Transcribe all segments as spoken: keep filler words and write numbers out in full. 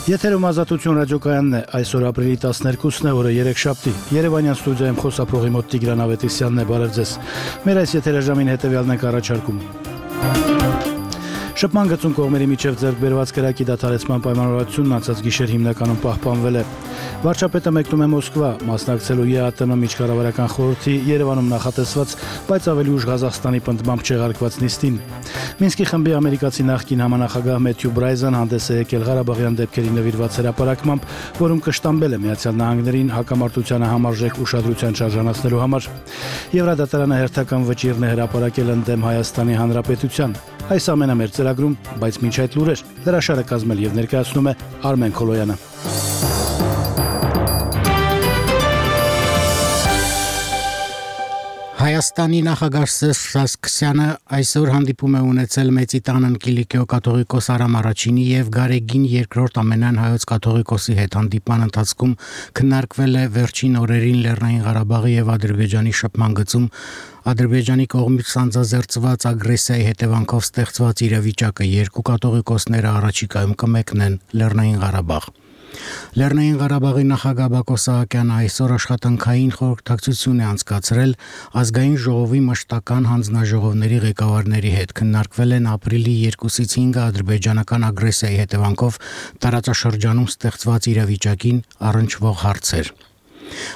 Եթերում ազատություն ռադիոկայանն է, այսօր ապրիլի տասներկուսն է, օրը երեքշաբթի։ Երևանյան ստուդիայում խոսափողի մոտ Տիգրան Ավետիսյանն է, բարև ձեզ։ Մեր այս եթերաժամին հետևյալն ենք առաջարկում։ Շփման գծում կողմերի միջև ձեռք բերված կրակի դադարեցման պայմանավորվածությունն անցած գիշեր հիմնականում պահպանվել է։ Վարչապետը մեկնում է Մոսկվա, մասնակցելու ԵԱՏՄ միջկառավարական խորհրդի Երևանում նախատեսված, բայց ավելի ուշ Ղազախստանի պնդմամբ չեղարկված նիստին։ Մինսկի խմբի ամերիկացի նախկին համանախագահ Մեթյու Բրայզան հանդես է եկել Ղարաբաղյան դեպքերի նվիրված հրապարակմամբ, որում կշտամբել է Միացյալ Նահանգներին հակամարտությանը համարժեք ուշադրության շարժանացնելու համար։ Եվրադատարանը հերթական վճիռն է հրապարակել ընդդեմ Հայաստանի Հանրապետության։ Այս ամենը մեր ծրագրում, բայց մինչ այդ լուրեր, հրաշարը կազմել եւ ներկայացնում է Արմեն Քոլոյանը։ Հայաստանի նախագահ Սերժ Սարգսյանը այսօր հանդիպում է ունեցել Մեծի տանն Կիլիկիո կաթողիկոս Արամ առաջինի եւ Գարեգին երկրորդ ամենայն հայոց կաթողիկոսի հետ։ Հանդիպման ընթացքում քննարկվել է վերջին օրերին Լեռնային Ղարաբաղի եւ Ադրբեջանի շփման գծում Ադրբեջանի կողմից սանձազերծված ագրեսիայի հետևանքով ստեղծված իրավիճակը։ Երկու կաթողիկոսները առաջիկայում կմեկնեն Լեռնային Ղարաբաղ։ Լեռնային Ղարաբաղի նախագահ Բակո Սահակյանը այսօր աշխատանքային խորհրդակցություն է անցկացրել ազգային ժողովի մշտական հանձնաժողովների ղեկավարների հետ։ Քննարկվել են ապրիլի երկուսից հինգը ադրբեջանական ագրեսիայի հետևանքով տարածաշրջանում ստեղծված իրավիճակին առնչվող հարցեր։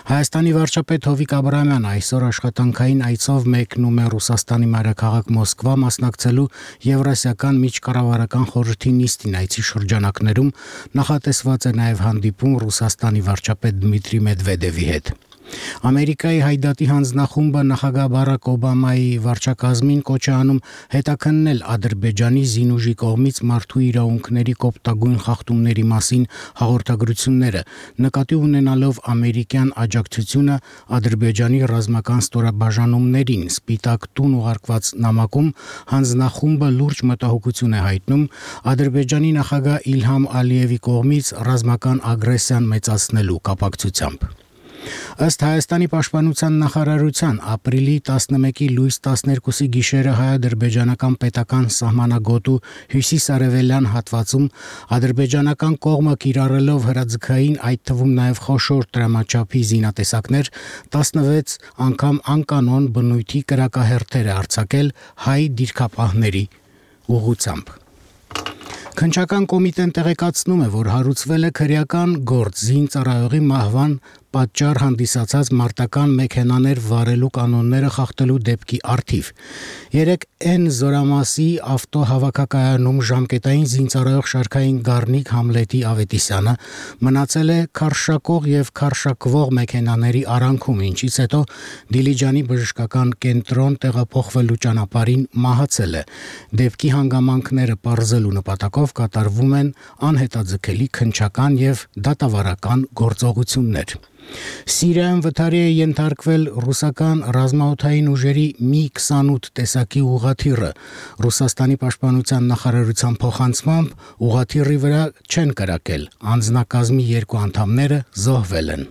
Հայաստանի վարչապետ Հովիկ Աբրահամյանը այսօր աշխատանքային այցով մեկնում է Ռուսաստանի մայրաքաղաք Մոսկվա, մասնակցելու Եվրասիական միջկառավարական խորհրդի նիստին։ Այցի շրջանակներում նախատեսված է նաև հանդիպում Ռուսաստանի վարչապետ Դմիտրի Մեդվեդևի հետ։ Ամերիկայի հայդատի հանձնախումբը նախագահ Բարակ Օբամայի վարչակազմին կոչ է անում հետաքննել Ադրբեջանի զինուժի կողմից մարդու իրավունքների կոպտագույն խախտումների մասին հաղորդագրությունները, նկատի ունենալով ամերիկյան աջակցությունը Ադրբեջանի ռազմական ստորաբաժանումներին։ Սպիտակ տուն ուղարկված նամակում հանձնախումբը լուրջ մտահոգություն է հայտնում Ադրբեջանի նախագահ Իլհամ Ալիևի կողմից ռազմական ագրեսիան մեծացնելու կապակցությամբ։ Ըստ Հայաստանի պաշտպանության նախարարության ապրիլի տասնմեկի լույս տասներկուսի գիշերը հայ-ադրբեջանական պետական սահմանագոտու հյուսիս-արևելյան հատվածում ադրբեջանական կողմը կիրառելով հրաձգային, այդ թվում նաև խոշոր տրամաչափի զինատեսակներ, տասնվեց անգամ անկանոն բնույթի կրակահերթեր է արձակել հայ դիրքապահների ուղղությամբ։ Քննչական կոմիտեն տեղեկացնում է, որ հարուցվել է քրեական գործ զինծառայողի մահվան պատճառ հանդիսացած մարտական մեքենաներ վարելու կանոնները խախտելու դեպքի առթիվ։ Երեկ N զորամասի ավտոհավաքակայանում ժամկետային զինծառայող շարքային Գառնիկ Համլետի Ավետիսյանը մնացել է քարշակող եւ քարշակվող մեքենաների արանքում, ինչից հետո Դիլիջանի բժշկական կենտրոն տեղափոխվելու ճանապարհին մահացել է։ Դեպքի հանգամանքները պարզելու նպատակով կատարվում են անհետաձգելի քննչական եւ դատավարական գործողություններ։ Սիրիայում վթարի է ենթարկվել ռուսական ռազմաօդային ուժերի մի քսանութ տեսակի ուղղաթիռը։ Ռուսաստանի պաշտպանության նախարարության փոխանցմամբ ուղղաթիռի վրա չեն կրակել, անձնակազմի երկու անդամները զոհվել են։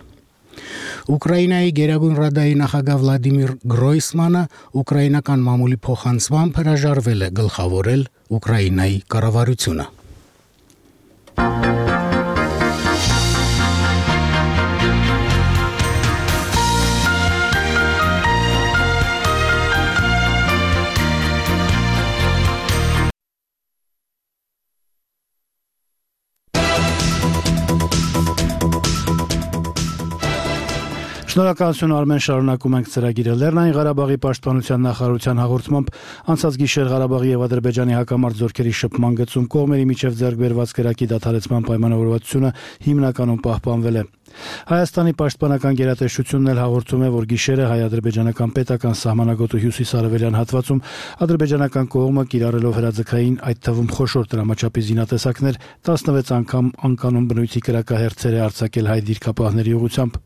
Ուկրաինայի Գերագույն ռադայի նախագահ Վլադիմիր Գրոյսմանը ուկրաինական մամուլի փոխանցմամբ հրաժարվել է գլխավորել Ուկրաինայի կառավարությունը։ Շնորհակալություն Արմեն, շարունակում ենք ծրագիրը։ Լեռնային Ղարաբաղի պաշտպանության նախարարության հաղորդմամբ անցած գիշեր Ղարաբաղի եւ Ադրբեջանի հակամարտ զորքերի շփման գծում կողմերի միջև ձեռք բերված կրակի դադարեցման պայմանավորվածությունը հիմնականում պահպանվել է։ Հայաստանի պաշտպանական գերատեսչությունն էլ հաղորդում է, որ գիշերը հայ-ադրբեջանական պետական սահմանագոտու հյուսիս-արևելյան հատվածում ադրբեջանական կողմը կիրառելով հրաձգային, այդ թվում խոշոր տրամաչափի զինատեսակներ, տասնվեց անգամ անկանոն բնույթի կրակահերթեր է արձակել հայ դիրքապահների ուղղությամբ։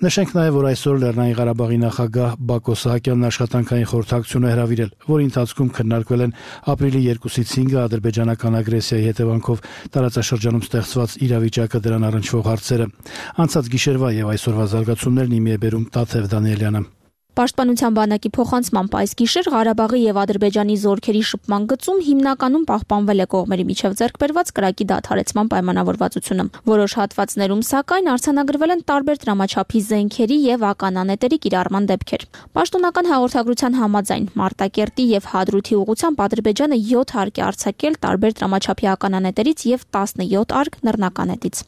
Նշենք նաև, որ այսօր Լեռնային Ղարաբաղի նախագահ Բակո Սահակյանն աշխատանքային խորհրդակցություն է հրավիրել, որի ընթացքում քննարկվել են ապրիլի երկուսից հինգը ադրբեջանական ագրեսիայի հետևանքով տարածաշրջանում ստեղծված իրավիճակը, դրան առնչվող հարցերը։ Անցած գիշերվա եւ այսօրվա զարգացումներն իմի է բերում Տաթև Դանիելյանը։ Պաշտպանության բանակի փոխանցմամբ այս գիշեր Ղարաբաղի եւ Ադրբեջանի զորքերի շփման գծում հիմնականում պահպանվել է կողմերի միջև ձեռքբերված կրակի դադարեցման պայմանավորվածությունը։ Որոշ հատվածներում, սակայն, արձանագրվել են տարբեր դրամաչափի զենքերի եւ ականանետերի կիրառման դեպքեր։ Պաշտոնական հաղորդագրության համաձայն Մարտակերտի եւ Հադրութի ուղղությամբ Ադրբեջանը յոթ հարկ է արձակել տարբեր դրամաչափի ականանետերից եւ տասնյոթ արկ նռնականետից։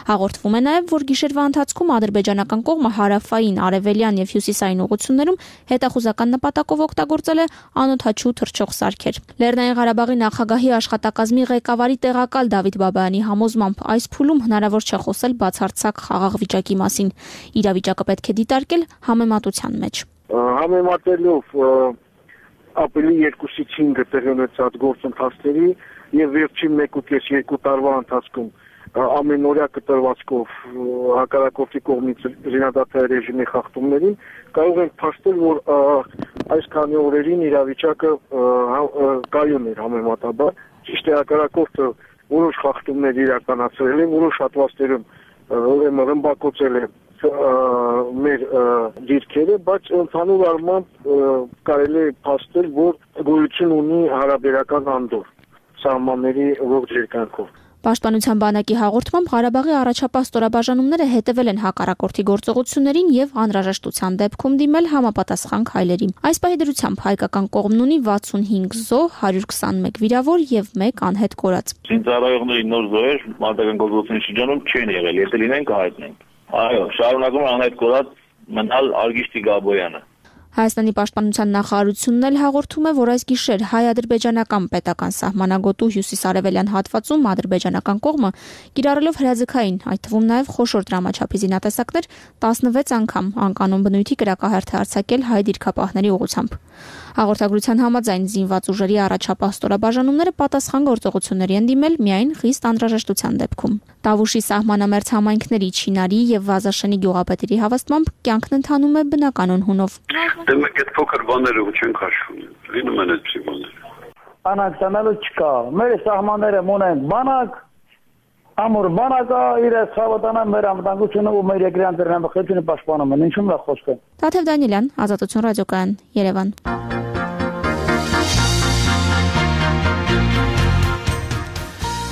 Հաղորդվում է նաեւ, որ գիշերվա ընթացքում ադրբեջանական կողմը հարավային, արևելյան եւ հյուսիսային ուղղություններում հետախուզական նպատակով օգտագործել է անօդաչու թռչող սարքեր։ Լեռնային Ղարաբաղի նախագահի աշխատակազմի ղեկավարի տեղակալ Դավիթ Բաբայանի համոզմամբ այս փուլում հնարավոր չէ խոսել բացարձակ խաղաղ վիճակի մասին։ Իրավիճակը պետք է դիտարկել համեմատության մեջ։ Համեմատելով ապրիլի երկուսից հինգը տեղի ունեցած գործընթացների եւ վերջին մեկ ու կես երկու տարվա ընթացքում ամենօրյա կտրվածքով հակառակորդի կողմից զինադադարի ռեժիմի խախտումներին կարող ենք փաստել, որ այս քանի օրերին իրավիճակը կայուն էր համեմատաբար։ Ճիշտ է, հակառակորդը որոշ խախտումներ իրականացրել է, որոշ հատվածներում ուրեմն ռմբակոծել է մեր դիրքերը, բայց ընդհանուր առմամբ կարելի է փաստել, որ գոյություն ունի հարաբերական անդոր սահմանների ողջ երկայնքով։ Պաշտպանության բանակի հաղորդմամբ Ղարաբաղի առաջապահ ստորաբաժանումները հետևել են հակառակորդի գործողություններին եւ անհրաժեշտության դեպքում դիմել համապատասխան քայլերի։ Այս պահի դրությամբ հայկական կողմն ունի վաթսունհինգ զոհ, հարյուր քսանմեկ վիրավոր եւ մեկ անհետ կորած։ Զինծառայողների նոր զոհեր մարտական գործողությունների շրջանում չեն եղել, եթե լինեն կհայտնենք։ Այո, շարունակում է անհետ կորած մնալ Արգիշտի Գաբոյանը։ Հայաստանի պաշտպանության նախարարությունն էլ հաղորդում է, որ այս գիշեր հայ-ադրբեջանական պետական սահմանագոտու հյուսիսարևելյան հատվածում ադրբեջանական կողմը կիրառելով հրաձգային, այդ թվում նաև խոշոր դրամաչափի զինատեսակներ տասնվեց անգամ անկանոն բնույթի կրակահարթ է արձակել հայ դիրքապահների ուղղությամբ։ Հաղորդագրության համաձայն զինված ուժերի առաջապահ ստորաբաժանումները պատասխան գործողությունների են դիմել միայն խիստ անհրաժեշտության դեպքում։ Տավուշի սահմանամերձ համայնքների Չինարի եւ Վազաշնի գյուղապետերի հավաստմամբ կյանքն ընթանում է բնականոն հունով։ Դե մենք այդ փոքր բաները ու չենք հաշվում։ Լինում են այդպիսի բաներ։ Բանակ տանելու չկա։ Մեր սահմանները ունեն բանակ, ամուր բանակը իր ցավոտանա մեր անվտանգությունը ու մեր երկրի անդրնամխությունը պաշտպանում են։ Ինչու՞ է խոսքը։ Տաթև Դանիելյան, Ազատություն ռադիոկայան, Երևան։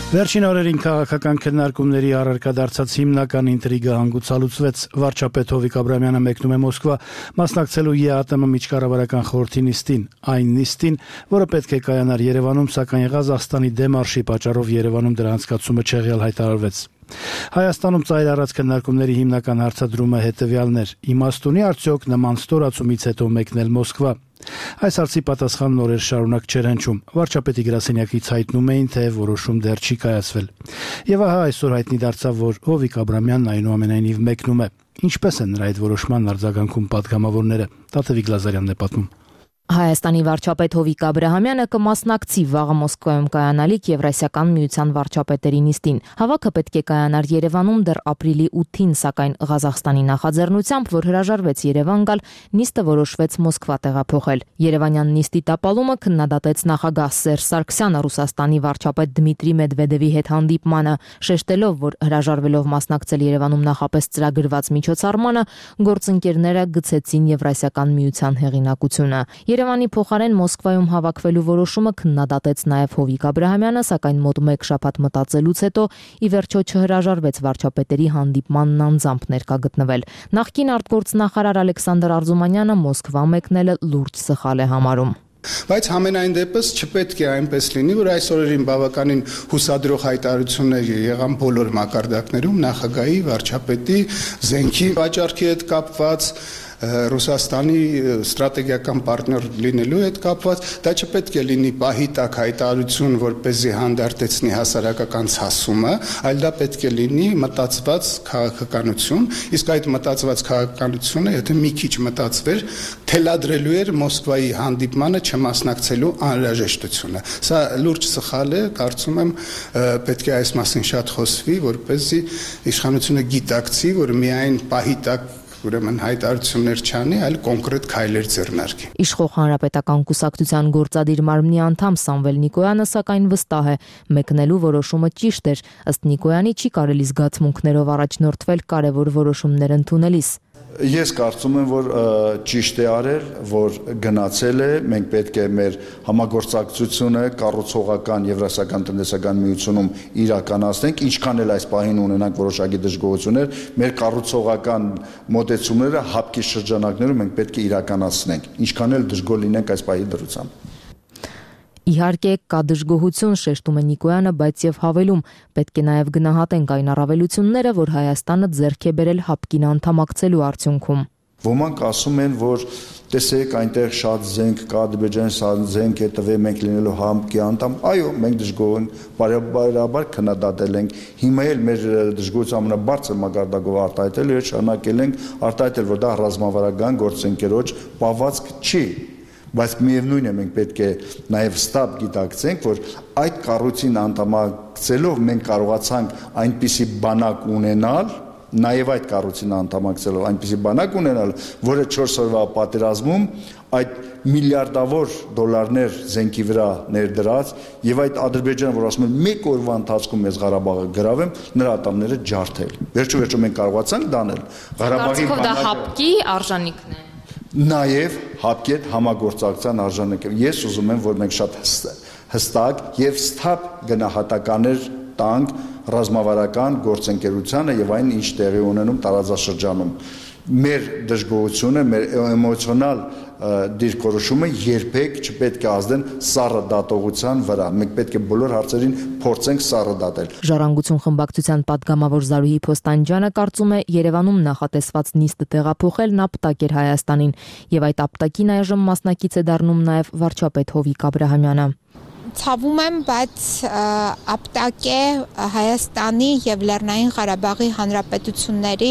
Վերջին օրերին քաղաքական քննարկումների առարկա դարձած հիմնական ինտրիգը հանգուցալուծվեց։ Վարչապետ Հովիկ Աբրահամյանը մեկնում է Մոսկվա մասնակցելու ԵԱՏՄ միջկառավարական խորհրդի նիստին, այն նիստին, որը պետք է կայանար Երևանում, սակայն Ղազախստանի դեմարշի պատճառով Երևանում դրա անցկացումը չեղյալ հայտարարվեց։ Հայաստանում ծայր առած քննարկումների հիմնական հարցադրումը հետևյալն էր. իմաստ ունի արդյոք նման ստորացումից հետո մեկնել Մոսկվա։ Այս հարցի պատասխանն օրեր շարունակ չէր հնչում։ Վարչապետի գրասենյակից հայտնում էին, թե որոշում դեռ չի կայացվել։ Եվ ահա այսօր հայտնի դարձավ, որ Հովիկ Աբրահամյանն այնուամենայնիվ մեկնում է։ Ինչպես են նրա այդ որոշման արձագանքում պատգամավորները։ Տաթևիկ Լազարյանն է պատմում։ Հայաստանի վարչապետ Հովիկ Աբրահամյանը կմասնակցի վաղը Մոսկվայում կայանալիք Եվրասիական միության վարչապետերի նիստին։ Հավաքը պետք է կայանար Երևանում դեռ ապրիլի ութին, սակայն Ղազախստանի նախաձեռնությամբ, որ հրաժարվեց Երևան գալ, նիստը որոշվեց Մոսկվա տեղափոխել։ Երևանյան նիստի տապալումը քննադատեց նախագահ Սերժ Սարգսյանը Ռուսաստանի վարչապետ Դմիտրի Մեդվեդևի հետ հանդիպմանը, շեշտելով, որ հրաժարվելով մասնակցել Երևանում նախապես ծրագրված միջոցառմանը, գործընկերները գցեցին Եվրասիական միության հեղինակությունը։ Երևանի փոխարեն Մոսկվայում հավաքվելու որոշումը քննադատեց նաև Հովիկ Աբրահամյանը, սակայն մոտ մեկ շաբաթ մտածելուց հետո ի վերջո չհրաժարվեց վարչապետերի հանդիպմանն անձամբ ներկա գտնվել։ Նախկին արտգործնախարար Ալեքսանդր Արզումանյանը Մոսկվա մեկնելը լուրջ սխալ է համարում։ Բայց համենայն դեպս չպետք է այնպես լինի, որ այս օրերին բավականին հուսադրող հայտարարություններ եղան բոլոր մակարդակներում նախագահի, վարչապետի, զենքի վաճառքի հետ կապված, Ռուսաստանի ստրատեգիական պարտներ լինելու հետ կապված, դա չպետք է լինի պահի տակ հայտարարություն, որպեսզի հանդարտեցնի հասարակական ցասումը, այլ դա պետք է լինի մտածված քաղաքականություն, իսկ այդ մտածված քաղաքականությունը, եթե մի քիչ մտածվեր, թելադրելու էր Մոսկվայի հանդիպմանը չմասնակցելու անհրաժեշտությունը։ Սա լուրջ սխալ է, կարծում եմ պետք է այս մասին շատ խոսվի, որպեսզի իշխանությունը գիտակցի, որ միայն պահի տակ ուրեմն հայտարարություններ չանի, այլ կոնկրետ քայլեր ձեռնարկի։ Իշխող հանրապետական կուսակցության գործադիր մարմնի անդամ Սամվել Նիկոյանը սակայն վստահ է, մեկնելու որոշումը ճիշտ էր, ըստ Նիկոյանի չի կարելի զգացմունքներով առաջնորդվել կարևոր որոշումներ ընդունելիս։ Ես կարծում եմ, որ ճիշտ է արել, որ գնացել է, մենք պետք է մեր համագործակցությունը կառուցողական Եվրասիական տնտեսական միությունում իրականացնենք, ինչքան էլ այս պահին ունենանք որոշակի դժգոհություններ, մեր կառուցողական մոտեցումները հապկի շրջանակներում մենք պետք է իրականացնենք, ինչքան էլ դժգոհ լինենք այս պահի դրությամբ։ Իհարկե կա դժգոհություն, շեշտում է Նիկոյանը, բայց եւ հավելում, պետք է նաեւ գնահատենք այն առավելությունները, որ Հայաստանը ձեռք է բերել հապկին անդամակցելու արդյունքում։ Ոմանք ասում են, որ տեսեք, այնտեղ շատ զենք կա, Ադրբեջանի շատ զենք է տվել, մենք լինելով հապկի անդամ, այո, մենք դժգոհ ենք, բարեբարաբար քննադատել ենք, հիմա էլ մեր դժգոհության ամենաբարձր մակարդակով արտահայտել եւ շարունակել ենք արտահայտել, որ դա ռազմավարական գործընկերոջ պահվածք չի։ Բայց միևնույն է մենք պետք է նաև ստապ գիտակցենք, որ այդ կառույցին անդամակցելով մենք կարողացանք այնպիսի բանակ ունենալ, նաև այդ կառույցին անդամակցելով այնպիսի բանակ ունենալ, որը չորս օրվա պատերազմում այդ միլիարդավոր դոլարներ զենքի վրա ներդրած եւ այդ Ադրբեջանը, որ ասում են մեկ օրվա ընթացքում ես Ղարաբաղը գրավեմ, նրա ատամները ջարդել։ Վերջո վերջո մենք կարողացանք դանել Ղարաբաղի բանակը։ Դա հապկի արժանիքն է։ Նաև հապկի հետ համագործակցության արժանիք է։ Ես ուզում եմ, որ մենք շատ հստակ եւ սթափ գնահատականներ տանք ռազմավարական գործընկերությանը եւ այն, ինչ տեղի ունենում տարածաշրջանում։ Մեր դժգոհությունը, մեր էմոցիոնալ դիրքորոշումը երբեք չպետք է ազդեն սառը դատողության վրա։ Մենք պետք է բոլոր հարցերին փորձենք սառը դատել։ Ժառանգություն խմբակցության պատգամավոր Զարուհի Փոստանջյանը կարծում է, Երևանում նախատեսված նիստը տեղափոխելն ապտակ էր Հայաստանին, եւ այդ ապտակին այժմ մասնակից է դառնում նաեւ վարչապետ Հովիկ Աբրահամյանը։ Ցավում եմ, բայց ապտակ է Հայաստանի եւ Լեռնային Ղարաբաղի հանրապետությունների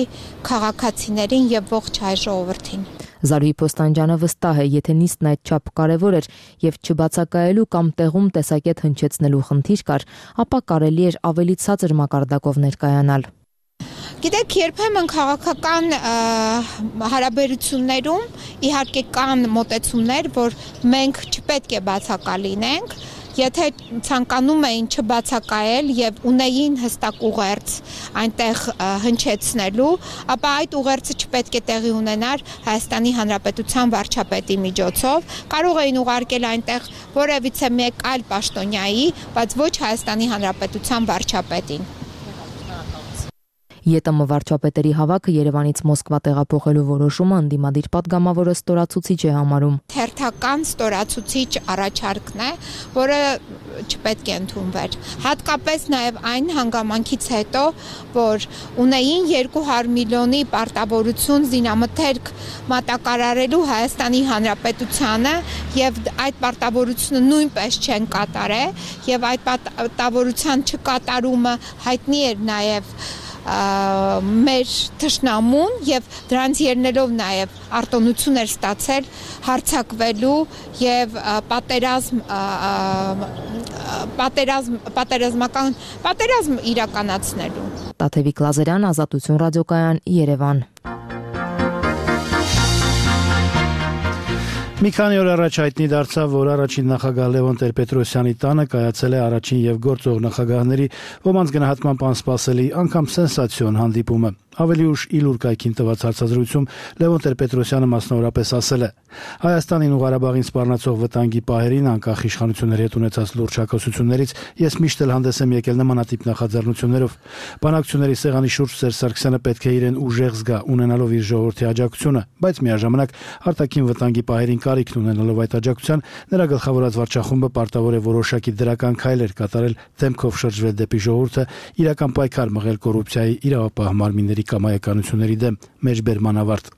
քաղաքացիներին եւ ողջ հայ ժողովրդին։ Զարուհի Փոստանջյանը վստահ է, եթե նիստն այդչափ կարևոր էր եւ չբացակայելու կամ տեղում տեսակետ հնչեցնելու խնդիր կար, ապա կարելի էր ավելի ցածր մակարդակով ներկայանալ։ Գիտեք, երբեմն քաղաքական հարաբերություններում իհարկե կան մոտեցումներ, որ մենք չպետք է բացակայենք, եթե ցանկանում էին չբացակայել եւ ունեին հստակ ուղերձ այնտեղ հնչեցնելու, ապա այդ ուղերձը չպետք է տեղի ունենար Հայաստանի Հանրապետության վարչապետի միջոցով, կարող էին ուղարկել այնտեղ որևիցե մեկ այլ պաշտոնյայի, բայց ոչ Հայաստանի Հանրապետության վարչապետին։ ԵՏՄ վարչապետերի հավաքը Երևանից Մոսկվա տեղափոխելու որոշումը ընդդիմադիր պատգամավորը ստորացուցիչ է համարում։ Թերթական ստորացուցիչ առաջարկն է, որը չպետք է ընդունվեր։ Հատկապես նաև այն հանգամանքից հետո, որ ունեին երկու հարյուր միլիոնի պարտավորություն զինամթերք մատակարարելու Հայաստանի Հանրապետությանը եւ այդ պարտավորությունը նույնպես չեն կատարել եւ այդ պարտավորության չկատարումը հայտնի էր նաև մեր թշնամուն եւ դրանց ելնելով նաեւ արտոնություն էր ստացել հարցակվելու եւ պատերազմ պատերազմ պատերազմական պատերազմ իրականացնելու։ Տաթևիկ Լազարյան, Ազատություն ռադիոկայան, Երևան։ Մի քանի օր առաջ հայտնի դարձավ, որ առաջին նախագահ Լևոն Տեր-Պետրոսյանի տանը կայացել է առաջին եւ գործող նախագահների ոմանց գնահատմամբ անսպասելի, անգամ սենսացիոն հանդիպումը։ Ավելի ուշ Իլուր կայքին տված հարցազրույցում Լևոն Տեր-Պետրոսյանը մասնավորապես ասել է. Հայաստանին ու Ղարաբաղին սպառնացող վտանգի պահերին, անկախ իշխանությունների հետ ունեցած լուրջ հակասություններից, ես միշտ էլ հանդես եմ եկել նմանատիպ նախաձեռնություններով։ Բանակցությունների սեղանի շուրջ Սերժ Սարգսյանը պետք է իրեն ուժեղ զգա, ունենալով իր ժողովրդի աջակցությունը, բայց միաժամանակ արտաքին վտանգի պահերին կարիքն ունենալով այդ աջակցության, նրա գլխավորած վարչախումբը պարտավոր է որոշակի դրական քայլեր կատարել, դեմքով շրջվել դեպի ժողովուրդը, իրական պայքար մղել կոռուպցիայի իրավապահ մարմինների կամայականությունների դեմ, մեջբերման ավարտ։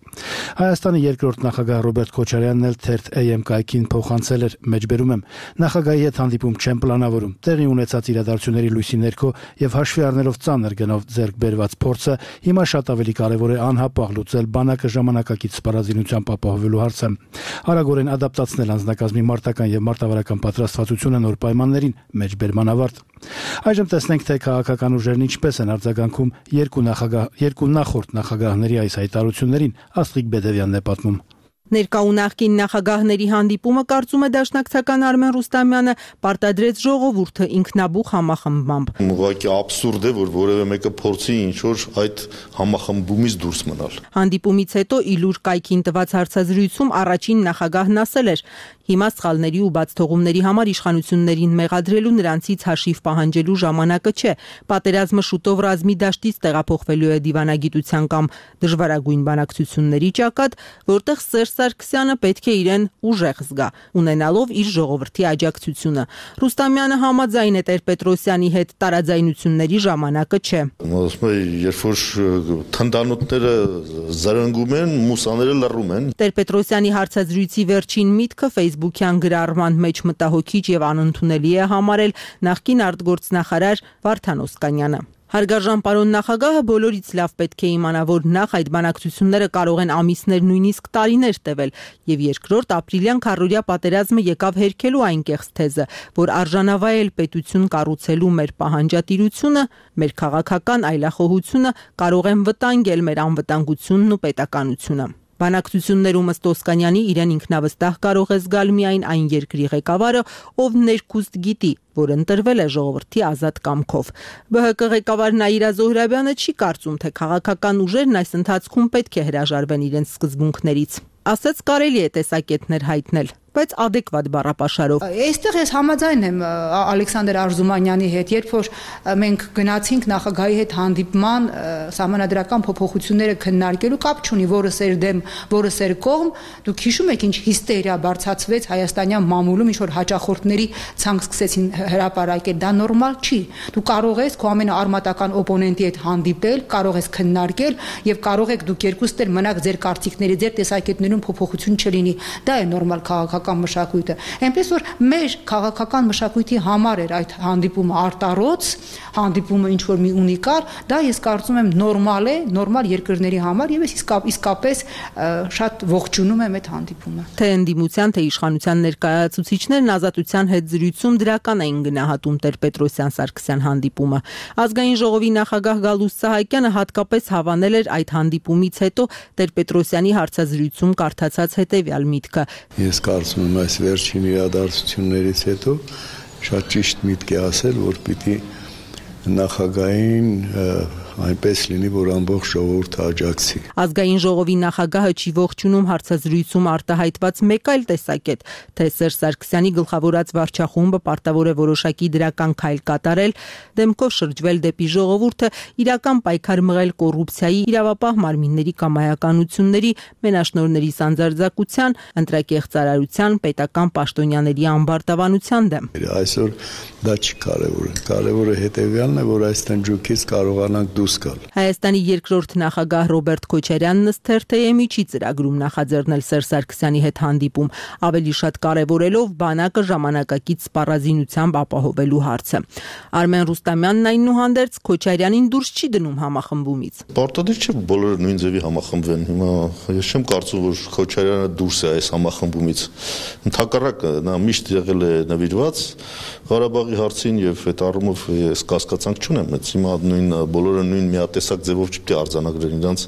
Հայաստանի երկրորդ նախագահ Ռոբերտ Քոչարյանն էլ թերթ A M կայքին փոխանցել էր, մեջբերում եմ, նախագահի հետ հանդիպում չեմ պլանավորում, տեղի ունեցած իրադարձությունների լույսի ներքո եւ հաշվի առնելով ծանր գնով ձեռք բերված փորձը, հիմա շատ ավելի կարեւոր է անհապաղ լուծել բանակը ժամանակակից սպառազինությամբ ապահովելու հարցը, արագորեն ադապտացնել անձնակազմի մարտական եւ մարտավարական պատրաստվածությունը նոր պայմաններին, մեջբերման ավարտ։ Այժմ տեսնենք, թե քաղաքական ուժերն ինչպես են արձագանքում երկու նախագահ երկու նախորդ նախագահների այս հայտարարություններին, Աստղիկ Բեդևյանն է պատմում։ Ներկա ու նախկին նախագահների հանդիպումը, կարծում է դաշնակցական Արմեն Ռուստամյանը, պարտադրեց ժողովուրդը ինքնաբուխ համախմբմամբ։ Ուղղակի աբսուրդ է, որ որևէ մեկը փորձի ինչ-որ այդ համախմբումից դուրս մնալ։ Հանդիպումից հետո իլուր կայքին տված հարցազրույցում առաջին նախագահն ասել էր. հիմա սխալների ու բաց թողումների համար իշխանություններին մեղադրելու, նրանցից հաշիվ պահանջելու ժամանակը չէ։ Պատերազմը շուտով ռազմի դաշտից տեղափոխվելու է դիվանագիտության կամ դժվարագույն բանակցությունների ճակատ, որտեղ Սերժ Սարգսյանը պետք է իրեն ուժեղ զգա, ունենալով իր ժողովրդի աջակցությունը։ Ռուստամյանը համաձայն է Տեր-Պետրոսյանի հետ, տարաձայնությունների ժամանակը չէ։ Ասում եմ, երբ որ թնդանոթները զրնգում են, մուսաները լռում են։ Տեր-Պետրոսյանի հարցազրույցի վերջին միտքը Facebook-յան գրառման մեջ մտահոգիչ եւ անընդունելի է համարել նախկին արտգործնախարար Վարդան Օսկանյանը։ Հարգարժան պարոն նախագահը բոլորից լավ պետք է իմանա, որ նախ այդ բանակցությունները կարող են ամիսներ, նույնիսկ տարիներ տևել, եւ երկրորդ ապրիլյան քառօրյա պատերազմը եկավ հերքելու այն կեղծ թեզը, որ արժանավայել պետություն կառուցելու մեր պահանջատիրությունը, մեր քաղաքական այլախոհությունը կարող են վտանգել մեր անվտանգությունն ու պետականությունը։ Բանակցություններում ըստ Օսկանյանի իրեն ինքնավստահ կարող է զգալ միայն այն երկրի ղեկավարը, ով ներքուստ գիտի, որ ընտրվել է ժողովրդի ազատ կամքով։ Բ Հ Կ ղեկավար Նաիրա Զոհրաբյանը չի կարծում, թե քաղաքական ուժերն այս ընթացքում պետք է հրաժարվեն իրենց սկզբունքներից։ Ասաց կարելի է տեսակետներ հայտնել, բայց adekvat բառապաշարով։ Այստեղ ես համաձայն եմ Ալեքսանդր Արզումանյանի հետ, երբ որ մենք գնացինք նախագահի հետ հանդիպման սահմանադրական փոփոխությունները քննարկելու, կապ չունի որը սեր դեմ, որը սեր կողմ, դուք հիշում եք ինչ հիստերիա բարձրացվեց հայաստանյան մամուլում, ինչ որ հաճախորդների ցանկ սկսեցին հրապարակել, դա նորմալ չի։ Դու կարող ես քո ամենաարմատական օպոնենտի հետ հանդիպել, կարող ես քննարկել եւ կարող եք դուք երկուստ էլ մնաք ձեր կարծիքների, ձեր տեսակետներում փոփոխություն չլինի։ Դա է նորմալ քաղաքական մշակույթը։ Այնպես որ մեր քաղաքական մշակույթի համար էր այդ հանդիպումը արտառոց, հանդիպումը ինչ որ մի ունիկալ, դա ես կարծում եմ նորմալ է, նորմալ երկրների համար եւ ես իսկապես շատ ողջունում եմ այդ հանդիպումը։ Թե ընդդիմության, թե իշխանության ներկայացուցիչներն Ազատության հետ զրույցում դրական էին գնահատում Տեր-Պետրոսյան-Սարգսյան հանդիպումը։ Ազգային ժողովի նախագահ Գալուստ Սահակյանը հատկապես հավանել էր այդ հանդիպումից հետո Տեր-Պետրոսյանի հարցազրույցում կարդացած հետեւյալ միտքը. Ես կարծում եմ այս վերջին իրադարձություններից հետո շատ ճիշտ միտք է ասել, որ պիտի նախագահին այնպես լինի, որ ամբողջ ժողովուրդը աջակցի։ Ազգային ժողովի նախագահը չի ողջունում հարցազրույցում արտահայտված մեկ այլ տեսակետ, թե Սերժ Սարգսյանի գլխավորած վարչախումբը պարտավոր է որոշակի դրական քայլ կատարել, դեմքով շրջվել դեպի ժողովուրդը, իրական պայքար մղել կոռուպցիայի, իրավապահ մարմինների կամայականությունների, մենաշնորհների սանձարձակության, ընտրակեղծարարության, պետական պաշտոնյաների ամբարտավանության դեմ։ Այսօր դա չի կարևորը։ Կարևորը հետևյալն է, որ այս տնջուկից կարողանանք դուրս գալ։ Հայաստանի երկրորդ նախագահ Ռոբերտ Քոչարյանն ըստ Թ Թ Մ-ի չի ծրագրում նախաձեռնել Սերժ Սարգսյանի հետ հանդիպում, ավելի շատ կարևորելով բանակը ժամանակակից սպառազինությամբ ապահովելու հարցը։ Արմեն Ռուստամյանն այնուհանդերձ Քոչարյանին դուրս չի դնում համախմբումից։ Պարտադիր չէ բոլորը նույն ձևի համախմբվեն։ Հիմա ես չեմ կարծում, որ Քոչարյանը դուրս է այս համախմբումից։ Ընդհակառակը նա միշտ եղել է նվիրված Ղարաբաղի հարցին եւ այդ առումով ես կասկածանք չունեմ, բայց հիմա նույն բոլորը նույն միատեսակ ձևով չպետք է արձանագրեն իրենց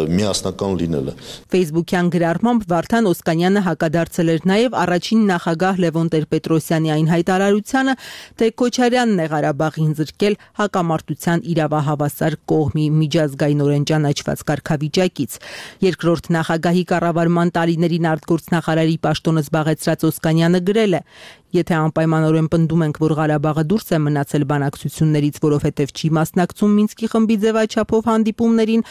միասնական լինելը։ Facebook-յան գրառմամբ Վարդան Օսկանյանը հակադարձել էր նաև առաջին նախագահ Լևոն Տեր-Պետրոսյանի այն հայտարարությանը, թե Քոչարյանն է Ղարաբաղին զրկել հակամարտության իրավահավասար կողմի միջազգայինորեն ճանաչված կարգավիճակից։ Երկրորդ նախագահի կառավարման տարիներին արտգործնախարարի պաշտոնը զբաղեցրած Օսկանյանը գրել է. Եթե անպայմանորեն պնդում ենք, որ Ղարաբաղը դուրս է մնացել բանակցություններից, որովհետև չի մասնակցում Մինսկի խմբի ձևաչափով հանդիպումներին,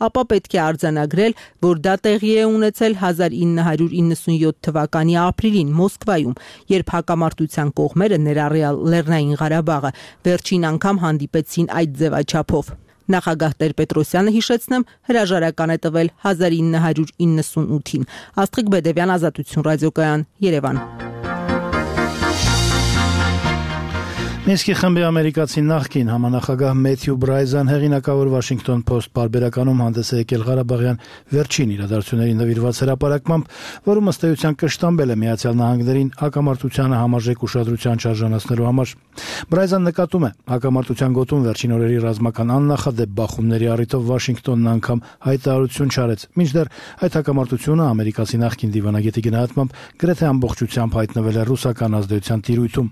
ապա պետք է արձանագրել, որ դա տեղի է ունեցել հազար ինը հարյուր իննսունյոթ թվականի ապրիլին Մոսկվայում, երբ հակամարտության կողմերը, ներառյալ Լեռնային Ղարաբաղը, վերջին անգամ հանդիպեցին այդ ձևաչափով։ Նախագահ Տեր-Պետրոսյանը, հիշեցնեմ, հրաժարական է տվել հազար ինը հարյուր իննսունութին։ Աստղիկ Բեդևյան, Ազատություն ռադիոկայան, Երևան։ Մինսկի խմբի ամերիկացի նախկին համանախագահ Մեթյու Բրայզան հեղինակավոր Washington Post պարբերականում հանդես է եկել Ղարաբաղյան վերջին իրադարձություններին նվիրված հրապարակմամբ, որում ըստ էության կշտամբել է Միացյալ Նահանգներին հակամարտությանը համարժեք ուշադրության շարժանացնելու համար։ Բրայզան նկատում է, հակամարտության գոտում վերջին օրերի ռազմական աննախադեպ բախումների առիթով Վաշինգտոնն անգամ հայտարարություն չարեց, մինչդեռ այդ հակամարտությունը ամերիկացի նախկին դիվանագետի գնահատմամբ գրեթե ամբողջությամբ հայտնվել է ռուսական ազդեցության տիրույթում։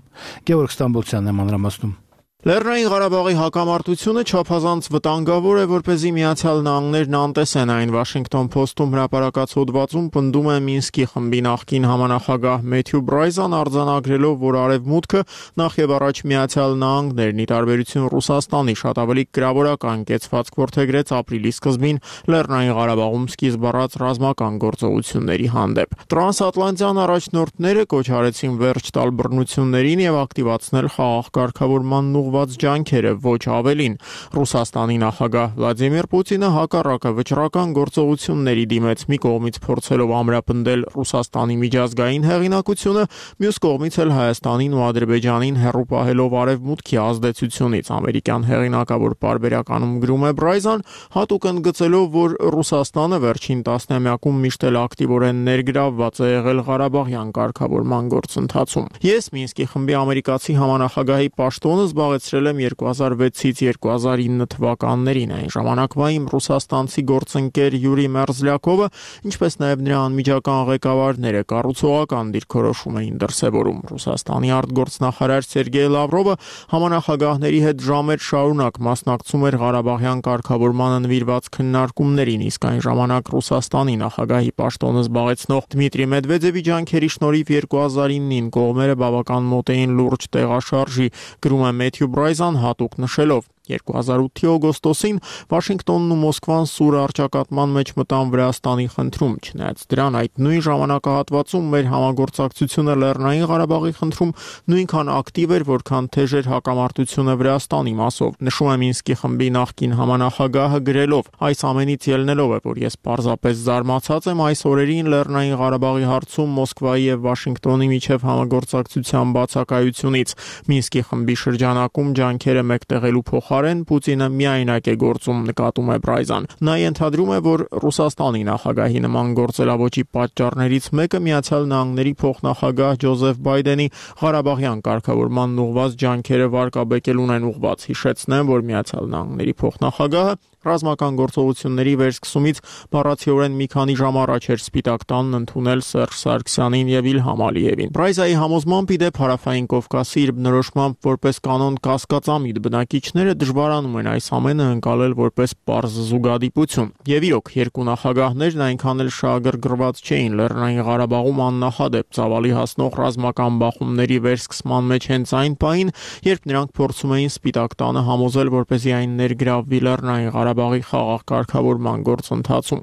Գևորգ Ստամբոլցյանն է մանրամասնում։ Լեռնային Ղարաբաղի հակամարտությունը չափազանց վտանգավոր է, որպեսզի Միացյալ Նահանգներն անտեսեն այն։ Washington Post-ում հրապարակած հոդվածում պնդում է Մինսկի խմբի նախկին համանախագահ Մեթյու Բրայզան, արձանագրելով, որ Արևմուտքը նախ եւ առաջ Միացյալ Նահանգներն ի տարբերություն Ռուսաստանի շատ ավելի գրավորական կեցվածք որդեգրեց ապրիլի սկզբին Լեռնային Ղարաբաղում սկիզբ առած ռազմական գործողությունների հանդեպ։ Տրանսատլանտյան առաջնորդները կոչ արեցին վերջ տալ բռնություններին եւ ակտիվացնել խաղաղ կարգավորման ջանքերը, ոչ ավելին։ Ռուսաստանի նախագահ Վլադիմիր Պուտինը հակառակը վճռական գործողությունների դիմեց, մի կողմից փորձելով ամրապնդել Ռուսաստանի միջազգային հեղինակությունը, մյուս կողմից էլ Հայաստանին ու Ադրբեջանին հեռու պահելով արևմուտքի ազդեցությունից։ Ամերիկյան հեղինակավոր պարբերականում գրում է Բրայզան, հատուկ ընդգծելով, որ Ռուսաստանը վերջին տասնամյակում միշտ էլ ակտիվորեն ներգրավված է եղել Ղարաբաղյան կարգավորման գործընթացում։ Ես Մինսկի խմբի ամերիկացի համանախագահի պաշտոնը զբաղեցրել եմ երկու հազար վեցից երկու հազար ինը թվականներին։ Այն ժամանակվա իմ ռուսաստանցի գործընկեր Յուրի Մերզլյակովը, ինչպես նաև նրա անմիջական ղեկավարները կառուցողական դիրքորոշում էին դրսևորում։ Ռուսաստանի արտգործնախարար Սերգեյ Լավրովը համանախագահների հետ ժամեր շարունակ մասնակցում էր Ղարաբաղյան կարգավորմանը նվիրված քննարկումներին, իսկ այն ժամանակ Ռուսաստանի նախագահի պաշտոնը զբաղեցնող Դմիտրի Մեդվեդևի ջանքերի շնորհիվ երկու հազար ինին կողմերը բավական մոտ էին լուրջ տեղաշարժի, գրում է Մեթյու Բրայզան հատուկ նշելով։ երկու հազար ութի օգոստոսին Վաշինգտոնն ու Մոսկվան սուր առճակատման մեջ մտան Վրաստանի խնդրում, չնայած դրան այդ նույն ժամանակահատվածում մեր համագործակցությունը Լեռնային Ղարաբաղի խնդրում նույնքան ակտիվ էր, որքան թեժ էր հակամարտությունը Վրաստանի մասով։ Նշում է Մինսկի խմբի նախկին համանախագահը գրելով. այս ամենից ելնելով է, որ ես պարզապես զարմացած եմ այս օրերին Լեռնային Ղարաբաղի հարցում Մոսկվայի եւ Վաշինգտոնի միջև համագործակցության բացակայությունից։ Մինսկի խմբի շրջանակում ջանքերը մեկտեղելու փոխ Պուտինը միայնակ է գործում, նկատում է Բրայզան։ Նա ենթադրում է, որ Ռուսաստանի նախագահի նման գործելավոճի պատճառներից մեկը Միացյալ Նահանգների փոխնախագահ Ջոզեֆ Բայդենի Ղարաբաղյան կարգավորման ուղղված ջանքերը վարկաբեկելուն են ուղղված։ Հիշեցնեմ, որ Միացյալ Նահանգների փոխնախագահը ռազմական գործողությունների վերսկսումից բառացիորեն մի քանի ժամ առաջ էր Սպիտակ տանն ընդունել Սերժ Սարգսյանին եւ Իլհամ Ալիևին։ Բրայզայի համոզմամբ ի դեպ Հարավային Կովկասի իր բնորոշմամբ որպես կանոն կասկածամիտ բնակիչները դժվարանում են այս ամենը ընկալել որպես պարզ զուգադիպություն։ Եվ իրոք, երկու նախագահներն այնքան էլ շահագրգռված չէին Լեռնային Ղարաբաղում աննախադեպ ծավալի հասնող ռազմական բախումների վերսկսման մեջ հենց այն պահին, երբ նրանք փորձում էին Սպիտակ տանը համոզել, որպեսզի այն ներգրավվի Լեռնային Ղարաբաղի խաղաղ կարգավորման գործընթացում։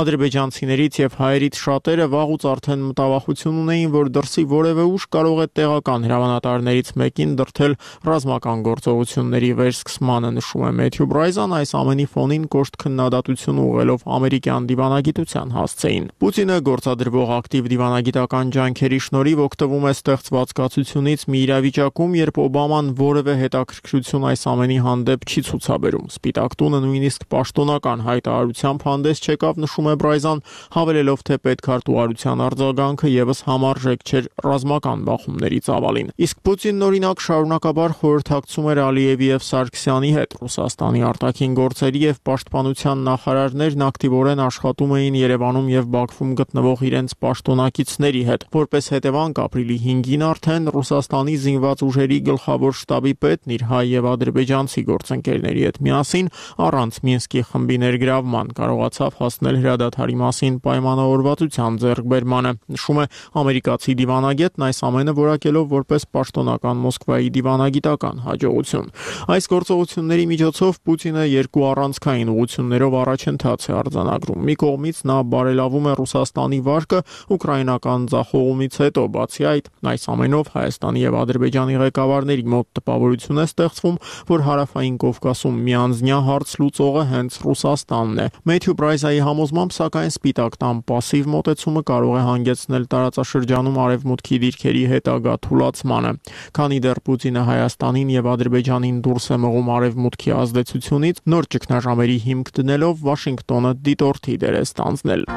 Ադրբեջանցիներից եւ հայերից շատերը վաղուց արդեն մտավախություն ունեին, որ դրսի որևէ ուժ կարող է տեղական հրամանատարներից մեկին դրդել ռազմական գործողությունների վերսկսմանը, նշում է Մեթյու Բրայզան, այս ամենի ֆոնին կոշտ քննադատություն ուղղելով ամերիկյան դիվանագիտության հասցեին։ Պուտինը գործադրվող ակտիվ դիվանագիտական ջանքերի շնորհիվ օգտվում է ստեղծված կացությունից մի իրավիճակում, երբ Օբաման որևէ հետաքրքրություն այս ամենի հանդեպ չի ցուցաբերում։ Սպիտակ տունը նույնիսկ պաշտոնական հայտարարությամբ հանդես չեկավ, նշում է Բրայզան, հավելելով, թե պետքարտուղարության արձագանքը եւս համարժեք չէր ռազմական բախումների ծավալին։ Իսկ Պուտինն օրինակ շարունակաբար խորհրդակցում էր Ալիևի եւ Սարգսյանի հետ։ Ռուսաստանի արտաքին գործերի եւ պաշտպանության նախարարներն ակտիվորեն աշխատում էին Երևանում եւ Բաքվում գտնվող իրենց պաշտոնակիցների հետ։ Որպես հետևանք ապրիլի հինգին արդեն Ռուսաստանի զինված ուժերի գլխավոր շտաբի պետն իր հայ եւ ադրբեջանցի գործընկերների հետ միասին առանց Մինսկի խմբի ներգրավման կարողացավ հասնել հրադադարի մասին պայմանավորվածության ձեռքբերմանը, նշում է ամերիկացի դիվանագետն, այս ամենը որակելով որպես պաշտոնական Մոսկվայի դիվանագիտական հաջողություն։ Այս գործողությունների միջոցով Պուտինը երկու առանցքային ուղղություններով առաջընթաց է արձանագրում։ Մի կողմից նա բարելավում է Ռուսաստանի վարկը ուկրաինական ձախողումից հետո, բացի այդ, այս ամենով Հայաստանի եւ Ադրբեջանի ղեկավարների մոտ տպավորություն է ստեղծվում, որ Հարավային Կովկասում միանձնյա հարց լուծող խաղողը հենց Ռուսաստանն է։ Մեթյու Բրայզայի համոզմամբ, սակայն Սպիտակ տան պասիվ մոտեցումը կարող է հանգեցնել տարածաշրջանում արևմուտքի դիրքերի հետագա թուլացմանը, քանի դեռ Պուտինը Հայաստանին եւ Ադրբեջանին դուրս է մղում արևմուտքի ազդեցությունից, նոր ճգնաժամերի հիմք դնելով Վաշինգտոնը դիտորդի դեր է ստանձնել։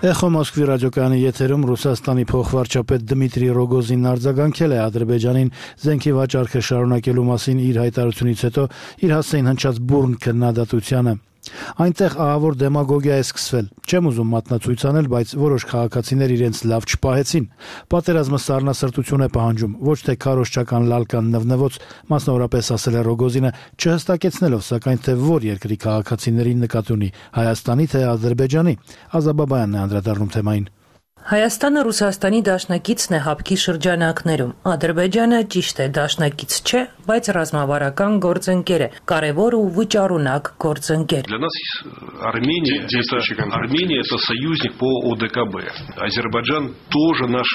Էխո Մոսկվի ռադիոկայանի եթերում Ռուսաստանի փոխվարչապետ Դմիտրի Ռոգոզինն արձագանքել է Ադրբեջանին զենքի վաճառքը շարունակելու մասին իր հայտարարությունից հետո իր հասցեին հնչած բուրն քննադատությանը։ Այնտեղ ահավոր դեմագոգիա է սկսվել։ Չեմ ուզում մատնացույց անել, բայց որոշ քաղաքացիներ իրենց լավ չպահեցին։ Պատերազմը սառնասրտություն է պահանջում, ոչ թե քարոզչական լալկան նվնվոց, մասնավորապես ասել է Ռոգոզինը, չհստակեցնելով սակայն թե որ երկրի քաղաքացիներին նկատի ունի՝ Հայաստանի թե Ադրբեջանի։ Ազաբաբայանն է անդրադառնում թեմային։ Հայաստանը Ռուսաստանի դաշնակիցն է հապկի շրջանակներում։ Ադրբեջանը ճիշտ է դաշնակից չէ, բայց ռազմավարական գործընկեր է, կարևոր ու վճարունակ գործընկեր։ Для нас Армения это Армения это союзник по О Д К Б. Азербайджан тоже наш,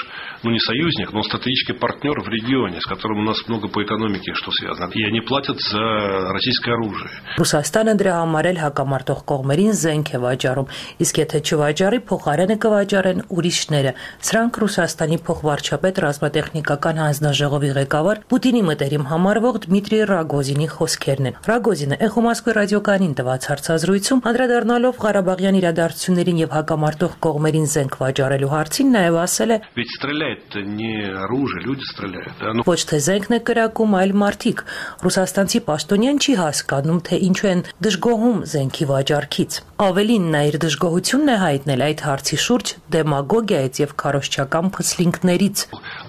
ну не союзник, но стратегический партнер в регионе, с которым у нас много по экономике что связано. И они платят за российское оружие. Ռուսաստանը դրա համար էլ հակամարտող կողմերին զենք է վաճառում, իսկ եթե չվաճառի, փոխարենը կվաճառեն ուրիշները։ Սրանք Ռուսաստանի փոխվարչապետ ռազմատեխնիկական հանձնաժողովի ղեկավար Պուտինի մտերիմ համարվող Դմիտրի Ռոգոզինի խոսքերն են։ Ռոգոզինը Էխո Մոսկվի ռադիոկայանին տված հարցազրույցում անդրադառնալով Ղարաբաղյան իրադարձություններին եւ հակամարտող կողմերին զենք վաճառելու հարցին նաեւ ասել է. Ведь стреляет не оружие, люди стреляют. Ոչ թե զենքն է կրակում, այլ մարդիկ։ Ռուսաստանցի պաշտոնյան չի հասկանում, թե ինչու են դժգոհում զենքի վաճառքից։ Ավելին նա իր դժգոհությունն է հայտնել այդ հարցի շուրջ демагогиայից եւ քարոզչական փսլինքներից։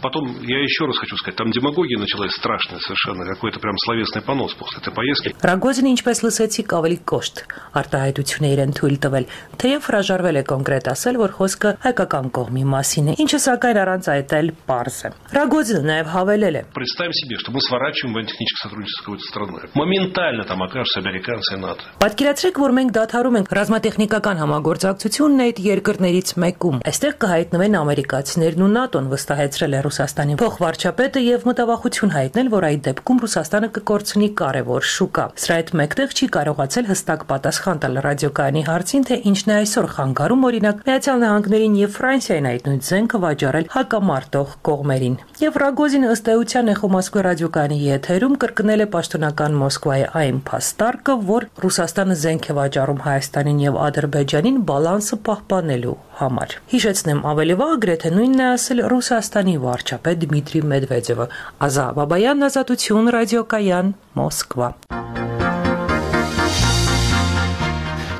Потом я еще раз хочу сказать, там демагогия началась страшная совершенно, какой-то прям словесный понос после этой поездки. Ռոգոզինը, ինչպես լսեցիք, ավելի կոշտ արտահայտություն է իրեն թույլ տվել, թեև հրաժարվել է կոնկրետ ասել, որ խոսքը հայկական կողմի մասին է, ինչը սակայն առանց այդ էլ պարզ է։ Ռոգոզինը նաեւ հավելել է. Представим себе, что мы сворачиваем военно-техническое сотрудничество с какой-то страной. Моментально там окажутся американцы и НАТО. Պատկերացրեք, որ մենք դադարում ենք ռազմատեխնիկական համագործակցությունն այդ երկրներից մեկում։ Այստեղ կհայտնվեն ամերիկացիներն ու ՆԱՏՕ-ն, վստահեցրել է Ռուսաստանի փոխվարչապետը եւ մտավախություն հայտնել, որ այդ դեպքում Ռուսաստանը կկորցնի կարևոր շուկա։ Սրա հետ մեկտեղ չի կարողացել հստակ պատասխան տալ ռադիոկայանի հարցին, թե ինչն է այսօր խանգարում օրինակ Միացյալ Նահանգներին եւ Ֆրանսիային այդ նույն զենքը վաճառել հակամարտող կողմերին։ Եվ Ռոգոզինը ըստ էության Էխո Մոսկվի ռադիոկայանի եթերում կրկնել է պաշտոնական Մոսկվայի այն փաստարկը, որ Ռուսաստանը զենք է վաճառում Հայաստանին եւ Ադրբեջանին բալանսը պահպանելու համար։ Հիշեցնեմ, ավելի վաղ գրեթե նույնն է ասել Ռուսաստանի վարչապետ Դմիտրի Մեդվեդևը։ Ազատ Բաբայան, Ազատություն, ռադիոկայան, Մոսկվա։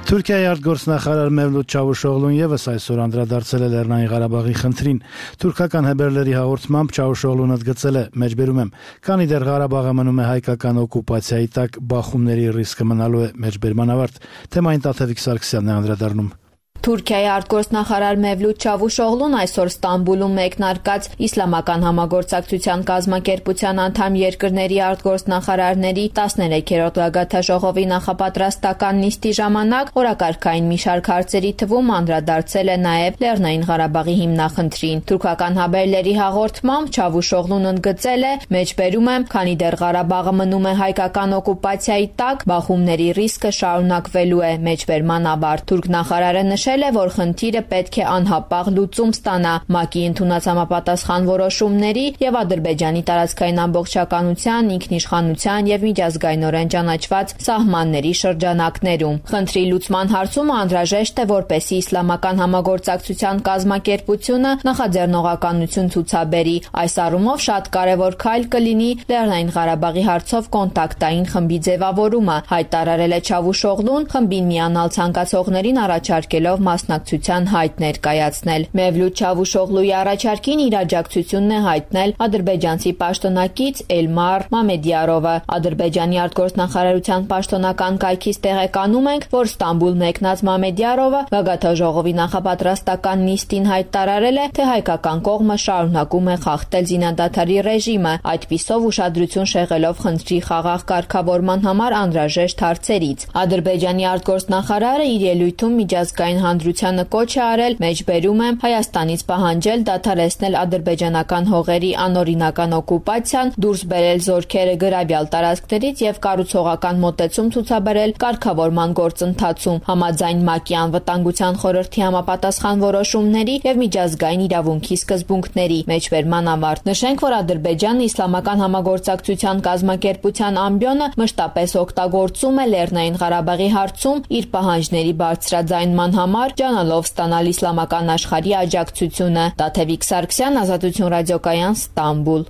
Թուրքիայի արտգործնախարար Մևլութ Չավուշօղլուն եւս այսօր անդրադարձել է Լեռնային Ղարաբաղի խնդրին։ Թուրքական հեբերլերի հաղորդմամբ Չավուշօղլուն ընդգծել է, մեջբերում եմ, քանի դեռ Ղարաբաղը մնում է հայկական օկուպացիայի տակ, բախումների ռիսկը մնալու է մեջբերման ավարտ։ Թեմային Տաթևիկ Սարգսյանն է անդրադառնում։ Թուրքիայի արտգործնախարար Մևլութ Չավուշօղլուն այսօր Ստամբուլում մեկնարկած Իսլամական համագործակցության կազմակերպության անդամ երկրների արտգործնախարարների տասներեքերորդ գագաթնաժողովի նախապատրաստական նիստի ժամանակ օրակարգային մի շարք հարցերի թվում անդրադարձել է նաև Լեռնային Ղարաբաղի հիմնախնդրին։ Թուրքական հաբերների հաղորդմամբ Չավուշօղլուն ընդգծել է. «Մեջբերում եմ, քանի դեռ Ղարաբաղը մնում է հայկական օկուպացիայի տակ, բախումների ռիսկը շարունակվելու է մեջբերման ավարտ»։ Թուրք նախարարը նշել է, որ խնդիրը պետք է անհապաղ լուծում ստանա ՄԱԿ-ի ընդունած համապատասխան որոշումների եւ Ադրբեջանի տարածքային ամբողջականության, ինքնիշխանության եւ միջազգայինորեն ճանաչված սահմանների շրջանակներում։ Խնդրի լուծման հարցում անհրաժեշտ է, որպեսզի Իսլամական համագործակցության կազմակերպությունը նախաձեռնողականություն ցուցաբերի։ Այս առումով շատ կարևոր քայլ կլինի Լեռնային Ղարաբաղի հարցով կոնտակտային խմբի ձևավորումը, հայտարարել է Չավուշօղլուն, խմբին միանալ ցանկացողներին առաջարկելով մասնակցության հայտ ներկայացնել։ Մևլութ Չավուշօղլուի առաջարկին իր աջակցությունն է հայտնել ադրբեջանցի պաշտոնակից Էլմար Մամեդյարովը։ Ադրբեջանի արտգործնախարարության պաշտոնական կայքից տեղեկանում ենք, որ Ստամբուլ մեկնած Մամեդյարովը գագաթնաժողովի նախապատրաստական նիստին հայտարարել է, թե հայկական կողմը շարունակում է խախտել զինադադարի ռեժիմը, այդպիսով ուշադրություն շեղելով խնդրի խաղաղ կարգավորման համար անհրաժեշտ հարցերից։ Ադրբեջանի արտգործնախարարը իր ելույթում միջազգային ընդդիմահանդրությանը կոչ է արել, մեջբերում եմ Հայաստանից պահանջել դադարեցնել ադրբեջանական հողերի անօրինական օկուպացիան, դուրս բերել զորքերը գրավյալ տարածքներից եւ կառուցողական մոտեցում ցուցաբերել կարգավորման գործընթացում, համաձայն ՄԱԿ-ի անվտանգության խորհրդի համապատասխան որոշումների եւ միջազգային իրավունքի սկզբունքների։ Մեջբերման ավարտ նշենք, որ Ադրբեջանն իսլամական համագործակցության կազմակերպության ամբիոնը մշտապես օգտագործում է Լեռնային Ղարաբաղի հարցում իր պահանջների բարձրաձայնման համար, ջանալով ստանալ իսլամական աշխարհի աջակցությունը։ Տաթևիկ Սարգսյան, Ազատություն ռադիոկայան, Ստամբուլ։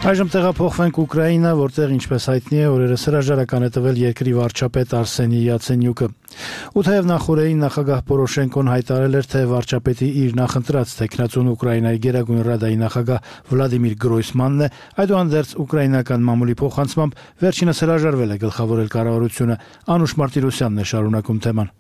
Այժմ տեղափոխվենք Ուկրաինա, որտեղ ինչպես հայտնի է, օրերս հրաժարական է տվել երկրի վարչապետ Արսենի Յացենյուկը։ Ու թեև նախորդին նախագահ Պորոշենկոն հայտարարել էր, թե վարչապետի իր նախընտրած տեխնացուն Ուկրաինայի Գերագույն Ռադայի նախագահ Վլադիմիր Գրոյսմանն է, այդուհանդերձ ուկրաինական մամուլի փոխանցմամբ վերջինս հրաժարվել է գլխավորել կառավարությունը։ Անուշ Մարտիրոսյանն է շարունակում թեման։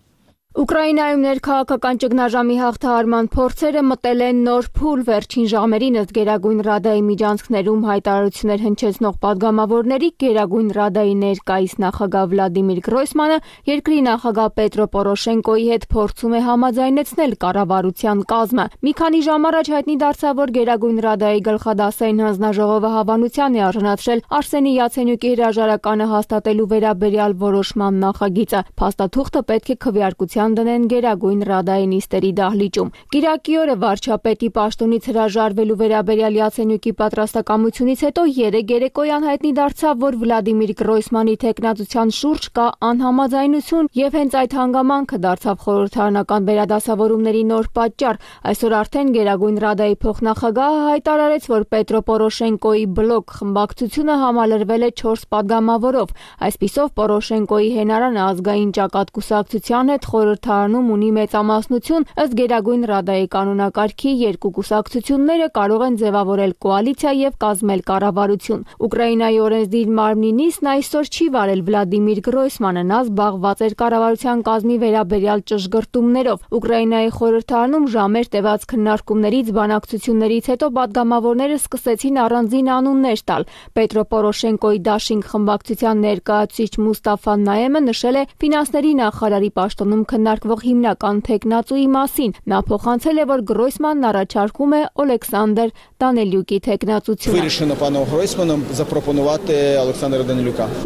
Ուկրաինայում ներքաղաքական ճգնաժամի հաղթահարման փորձերը մտել են նոր փուլ վերջին ժամերին ըստ Գերագույն Ռադայի միջանցքներում հայտարարություններ հնչեցնող падգամավորների Գերագույն Ռադայի ներկայիս նախագահ Վլադիմիր Գրոյսմանը երկրի նախագահ Պետրո Պորոշենկոյի հետ փորձում է համաձայնեցնել կառավարության կազմը։ Մի քանի ժամ առաջ հայտնի դարձավ, որ Գերագույն Ռադայի գլխադասային հանձնաժողովը հավանության է արժանացրել Արսենի Յացենյուկի հրաժարականը հաստատելու վերաբերյալ որոշման նախագիծը։ Փաստաթուղթը պետք է քվեարկության դնեն Գերագույն Ռադայի նիստերի դահլիճում։ Կիրակի օրը վարչապետի պաշտոնից հրաժարվելու վերաբերյալ Յացենյուկի պատրաստակամությունից հետո երեկ երեկոյան հայտնի դարձավ, որ Վլադիմիր Գրոյսմանի տեխնացության շուրջ կա անհամաձայնություն եւ հենց այդ հանգամանքը դարձավ խորհրդարանական վերադասավորումների նոր պատճառ։ Այսօր արդեն Գերագույն Ռադայի փոխնախագահը հայտարարեց, որ Պետրո Պորոշենկոյի բլոկ խմբակցությունը համալրվել է չորս падգամավորով։ Այսպիսով Պորոշենկոյի հենարանը ազգային ճակատ կուսակցության հետ խորհրդարանում ունի մեծամասնություն, ըստ Գերագույն Ռադայի կանոնակարգի երկու կուսակցությունները կարող են ձևավորել կոալիցիա եւ կազմել կառավարություն։ Ուկրաինայի օրենսդիր մարմնի նիստն այսօր չի վարել Վլադիմիր Գրոյսմանը, նա զբաղված էր կառավարության կազմի վերաբերյալ ճշգրտումներով։ Ուկրաինայի խորհրդարանում ժամեր տևած քննարկումներից, բանակցություններից հետո падգամավորները սկսեցին առանձին անուններ տալ։ Պետրո Պորոշենկոյի Դաշինք խմբակցության ներկայացուցիչ Մուստաֆա Նայեմը նշել է ֆինանսների նախարարի պաշտոնում քննարկվող հիմնական տեխնացուի մասին։ Նա փոխանցել է, որ Գրոյսմանն առաջարկում է Օլեքսանդր Դանիելյուկի տեխնացությունը։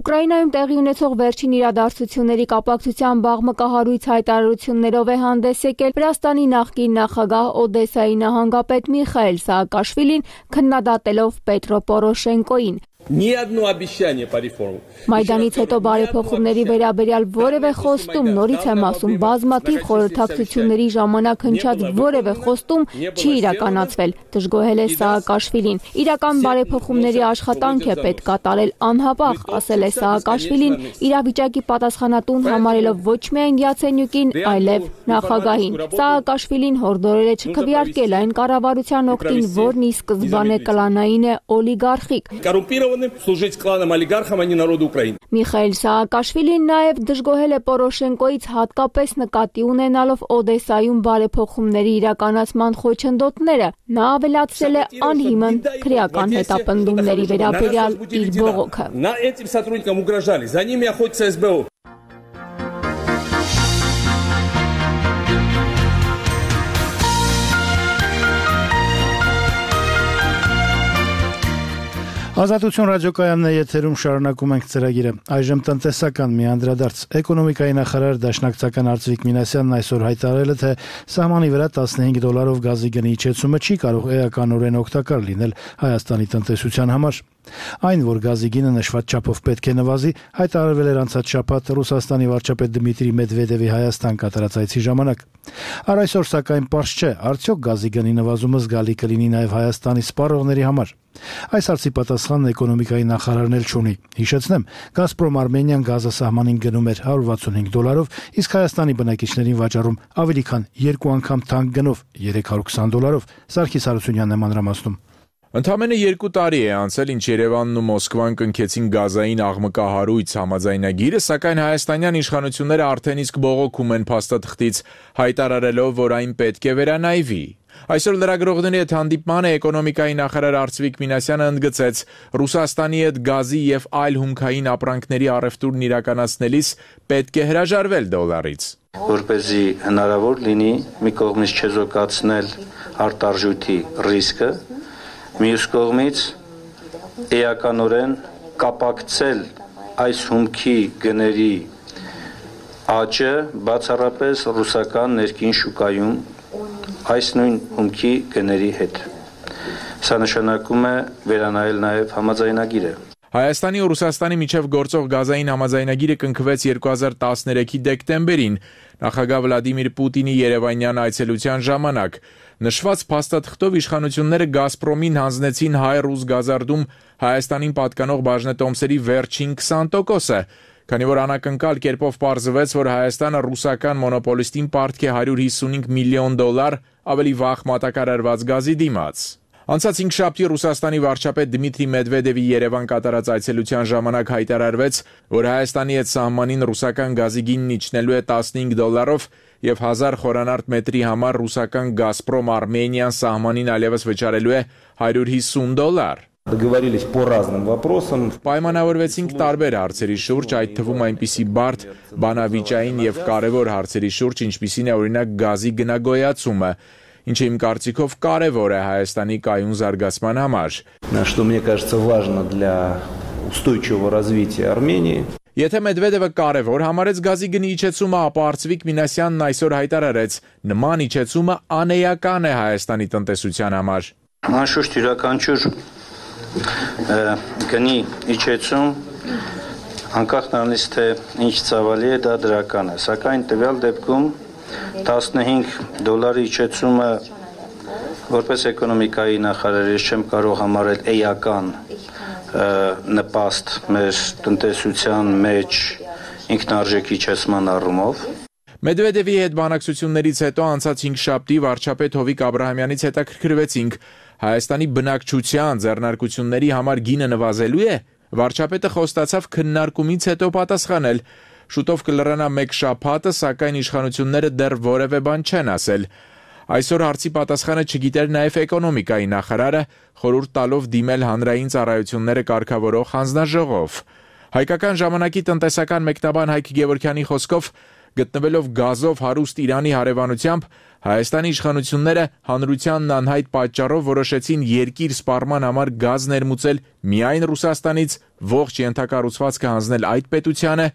Ուկրաինայում տեղի ունեցող վերջին իրադարձությունների կապակցությամբ աղմկահարույց հայտարարություններով է հանդես եկել Վրաստանի նախկին նախագահ Օդեսայի նահանգապետ Միխայել Սաակաշվիլին, քննադատելով Պետրո Պորոշենկոյին։ Մայդանից հետո բարեփոխումների վերաբերյալ որևէ խոստում, նորից եմ ասում, բազմաթիվ խորհրդակցությունների ժամանակ հնչած որևէ խոստում չի իրականացվել, դժգոհել է Սաակաշվիլին։ Իրական բարեփոխումների աշխատանք է պետք կատարել անհապաղ, ասել է Սաակաշվիլին, իրավիճակի պատասխանատուն համարելով ոչ միայն Յացենյուկին, այլև նախագահին։ Սաակաշվիլին հորդորել է չքվեարկել այն կառավարության օգտին, որն ի սկզբանե կլանային է օլիգարխիկ։ служить кланам олигархам, а не народу Украины. Միխայել Սաակաշվիլին նաև դժգոհել է Պորոշենկոյից հատկապես նկատի ունենալով Օդեսայում բարեփոխումների իրականացման խոչընդոտները։ Նա ավելացրել է անհիմն քրեական հետապնդումների վերաբերյալ իր բողոքը։ На этим сотрудникам угрожали, за ними охотится эс бэ о. Ազատություն ռադիոկայանն է եթերում, շարունակում ենք ծրագիրը։ Այժմ տնտեսական մի անդրադարձ։ Էկոնոմիկայի նախարար Դաշնակցական Արծվիկ Մինասյանն այսօր հայտարարել է, թե սահմանի վրա տասնհինգ դոլարով գազի գնի իջեցումը չի կարող էականորեն օգտակար լինել Հայաստանի տնտեսության համար։ Այն, որ գազի գինը նշված չափով պետք է նվազի, հայտարարվել էր անցած շաբաթ Ռուսաստանի վարչապետ Դմիտրի Մեդվեդևի Հայաստան կատարած այցի ժամանակ։ Առ այսօր սակայն պարզ չէ, արդյոք գազի գնի նվազումը զգալի կլինի նաև Հայաստանի սպառողների համար։ Այս հարցի պատասխանն էկոնոմիկայի նախարարն էլ չունի։ Հիշեցնեմ, Գազպրոմ Արմենիան գազը սահմանին գնում էր հարյուր վաթսունհինգ դոլարով, իսկ Հայաստանի բնակիչներին վաճառում ավելի քան երկու անգամ թանկ գնով երեք հարյուր քսան դոլարով։ Սարգիս Հարությունյանն է մանրամասնում։ Ընդամենը երկու տարի է անցել, ինչ Երևանն ու Մոսկվան կնքեցին գազային աղմկահարույց համաձայնագիրը, սակայն հայաստանյան իշխանությունները արդեն իսկ բողոքում են փաստաթղթից, հայտարարելով, որ այն պետք է վերանայվի։ Այսօր լրագրողների հետ հանդիպմանը էկոնոմիկայի նախարար Արծվիկ Մինասյանը ընդգծեց, Ռուսաստանի հետ գազի եւ այլ հումքային ապրանքների առևտուրն իրականացնելիս պետք է հրաժարվել դոլարից։ Որպեսզի հնարավոր լինի մի կողմից չեզոքացնել արտարժույթի ռիսկը, մյուս կողմից էականորեն կապակցել այս հումքի գների աճը բացառապես ռուսական ներքին շուկայում այս նույն հումքի գների հետ։ Սա նշանակում է վերանայել նաև համաձայնագիրը։ Հայաստանի ու Ռուսաստանի միջև գործող գազային համաձայնագիրը կնքվեց երկու հազար տասներեքի դեկտեմբերին, նախագահ Վլադիմիր Պուտինի երևանյան այցելության ժամանակ։ Նշված փաստաթղթով իշխանությունները Գազպրոմին հանձնեցին հայ-ռուս գազարդում Հայաստանին պատկանող բաժնետոմսերի վերջին քսան տոկոսը, քանի որ անակնկալ կերպով պարզվեց, որ Հայաստանը ռուսական մոնոպոլիստին պարտք է հարյուր հիսունհինգ միլիոն դոլար ավելի վաղ մատակարարված գազի դիմաց։ Անցած հինգշաբթի Ռուսաստանի վարչապետ Դմիտրի Մեդվեդևի Երևան կատարած այցելության ժամանակ հայտարարվեց, որ Հայաստանի հետ սահմանին ռուսական գազի գինն իջնելու է տասնհինգ դոլարով եւ հազար խորանարդ մետրի համար ռուսական Գազպրոմ Արմենիան սահմանին այլևս վճարելու է հարյուր հիսուն դոլար։ Договорились по разным вопросам. Պայմանավորվեցինք տարբեր հարցերի շուրջ, այդ թվում այնպիսի բարդ, բանավիճային եւ կարեւոր հարցերի շուրջ, ինչպիսին է օրինակ գազի գնագոյացումը, ինչը իմ կարծիքով կարևոր է Հայաստանի կայուն զարգացման համար։ Что мне кажется важно для устойчивого развития Армении. Եթե Մեդվեդևը կարևոր համարեց գազի գնի իջեցումը, ապա Արծվիկ Մինասյանն այսօր հայտարարեց, նման իջեցումը անեական է Հայաստանի տնտեսության համար։ Անշուշտ յուրաքանչյուր գնի իջեցում անկախ նրանից թե ինչ ծավալի է, դա դրական է, սակայն տվյալ դեպքում տասնհինգ դոլարի իջեցումը որպես էկոնոմիկայի նախարար ես չեմ կարող համարել էական նպաստ մեր տնտեսության մեջ ինքնարժեքի իջեցման առումով։ Մեդվեդևի հետ բանակցություններից հետո անցած հինգշաբթի վարչապետ Հովիկ Աբրահամյանից հետաքրքրվեցինք Հայաստանի բնակչության ձեռնարկությունների համար գինը նվազելու է։ Վարչապետը խոստացավ քննարկումից հետո պատասխանել։ Շուտով կլրանա մեկ շաբաթը, սակայն իշխանությունները դեռ որևէ բան չեն ասել։ Այսօր հարցի պատասխանը չգիտեր նաև էկոնոմիկայի նախարարը, խորհուրդ տալով դիմել հանրային ծառայությունները կարգավորող հանձնաժողով։ Հայկական ժամանակի տնտեսական մեկնաբան Հայկ Գևորգյանի խոսքով գտնվելով գազով հարուստ Իրանի հարևանությամբ Հայաստանի իշխանությունները հանրությանն անհայտ պատճառով որոշեցին երկիր սպառման համար գազ ներմուծել միայն Ռուսաստանից, ողջ ենթակառուցվածքը հանձնել այդ պետությանը,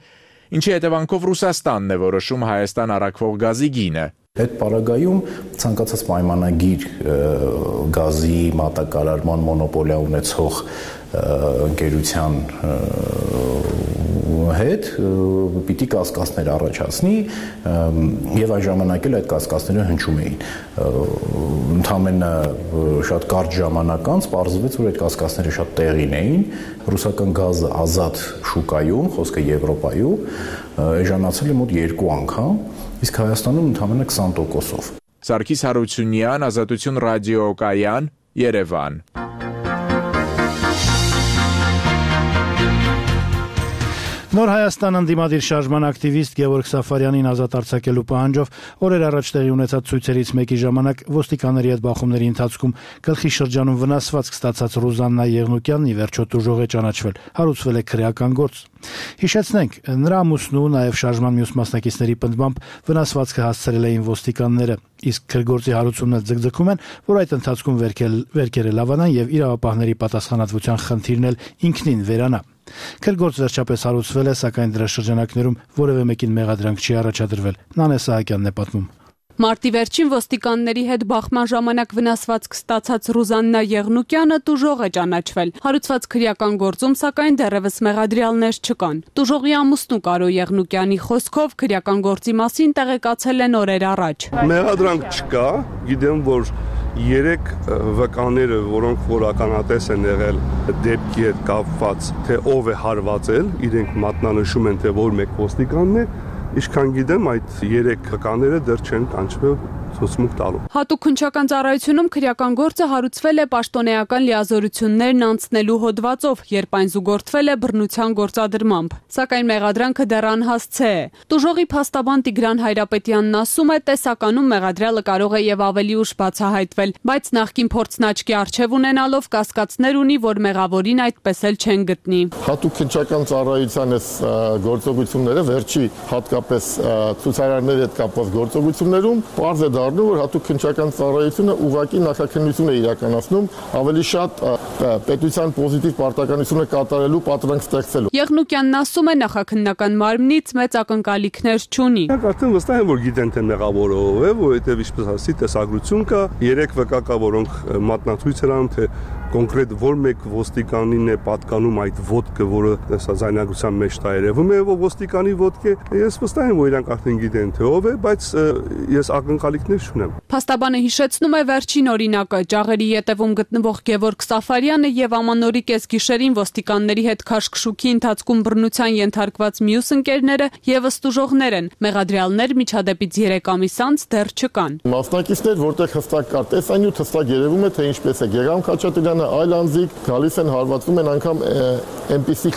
ինչի հետևանքով Ռուսաստանն է որոշում Հայաստան առաքվող գազի գինը։ Այդ պարագայում ցանկացած պայմանագիր գազի մատակարարման մոնոպոլիա ունեցող ընկերության հետ պիտի կասկածներ առաջացնի եւ այն ժամանակ էլ այդ կասկածները հնչում էին։ Ընդամենը շատ կարճ ժամանակ անց պարզվեց, որ այդ կասկածները շատ տեղին էին։ Ռուսական գազը ազատ շուկայում, խոսքը Եվրոպայում, էժանացել է մոտ երկու անգամ, իսկ Հայաստանում ընդամենը քսան տոկոսով։ Սարգիս Հարությունյան, Ազատություն ռադիոկայան, Երևան։ Նոր Հայաստան ընդդիմադիր շարժման ակտիվիստ Գևորգ Սաֆարյանին ազատ արձակելու պահանջով օրեր առաջ տեղի ունեցած ցույցերից մեկի ժամանակ ոստիկանների հետ բախումների ընթացքում գլխի շրջանում վնասվածք ստացած Ռուզաննա Եղնուկյանն ի վերջո տուժող է ճանաչվել, հարուցվել է քրեական գործ։ Հիշեցնենք, նրա ամուսնու, նաև շարժման մյուս մասնակիցների պնդմամբ վնասվածքը հասցրել էին ոստիկանները, իսկ քրգործի հարուցումն էլ ձգձգում են, որ այդ ընթացքում վերքերը լավանան եւ իրավապահների պատասխանատվության խնդիրն էլ ինքնին վերանա։ Քրգործ վերջապես հարուցվել է, սակայն դրա շրջանակներում որևէ մեկին մեղադրանք չի առաջադրվել։ Նանե Սահակյանն է պատմում։ Մարտի վերջին ոստիկանների հետ բախման ժամանակ վնասվածք ստացած Ռուզաննա Եղնուկյանը տուժող է ճանաչվել։ Հարուցված քրեական գործում սակայն դեռևս մեղադրյալներ չկան։ Տուժողի ամուսնու Կարո Եղնուկյանի խոսքով քրեական գործի մասին տեղեկացել են օրեր առաջ։ Մեղադրանք չկա, գիտեմ, որ երեք վկաները, որոնք որականատես են եղել դեպքի հետ կապված, թե ով է հարվածել, իրենք մատնանշում են, թե որ մեկ ոստիկանն է, ինչքան գիտեմ, այդ երեք վկաները դեռ չեն կանչվել ցուցմունք տալու։ Հատուկ քննչական ծառայությունում քրեական գործը հարուցվել է պաշտոնեական լիազորություններն անցնելու հոդվածով, երբ այն զուգորդվել է բռնության գործադրմամբ։ Սակայն մեղադրանքը դեռ անհասցե է։ Տուժողի փաստաբան Տիգրան Հայրապետյանն ասում է, տեսականում մեղադրյալը կարող է եւ ավելի ուշ բացահայտվել, բայց նախկին փորձն աչքի առջև ունենալով կասկածներ ունի, որ մեղավորին այդպես էլ չեն գտնի։ Հատուկ քննչական ծառայության այս գործողությունները վերջի հատկապես ցուցարարների հետ կապված գործողություններում պարզ է դառնում, որ հատուկ քննչական ծառայությունը ուղղակի նախաքննություն է իրականացնում ավելի շատ պետության պոզիտիվ պարտականությունը կատարելու պատրանք ստեղծելու։ Եղնուկյանն ասում է, նախաքննական մարմնից մեծ ակնկալիքներ չունի։ Արդեն վստահ եմ, որ գիտեն թե մեղավորը ով է, որովհետև ինչպես ասի, տեսագրություն կա, երեք վկա կա, որոնք մատնացույց են անում, թե կոնկրետ որ մեկ ոստիկանին է պատկանում այդ ոդկը, որը հեսա զայնագրության մեջ տա երևում է, որ ոստիկանի ոդկ է։ Ես վստահ եմ, որ իրանք արդեն գիտեն թե ով է, բայց ես ակնկալիքներ չունեմ։ Փաստաբանը հիշեցնում է վերջին օրինակը՝ ճաղերի ետևում գտնվող Գևորգ Սաֆարյանը եւ ամանորի կեսգիշերին ոստիկանների հետ քաշքշուքի ընթացքում բռնության ենթարկված մյուս ընկերները եւս տուժողներ են։ Մեղադրյալներ միջադեպից երեք ամիս անց դեռ չկան։ Մասնակիցներ, որտեղ հստակ կար տեսանյութ, հստակ երևում է, թե ինչպես է Գեգամ Խաչատրյանը, այլ անձիկ գալիս են հարվածում են անգամ այնպիսի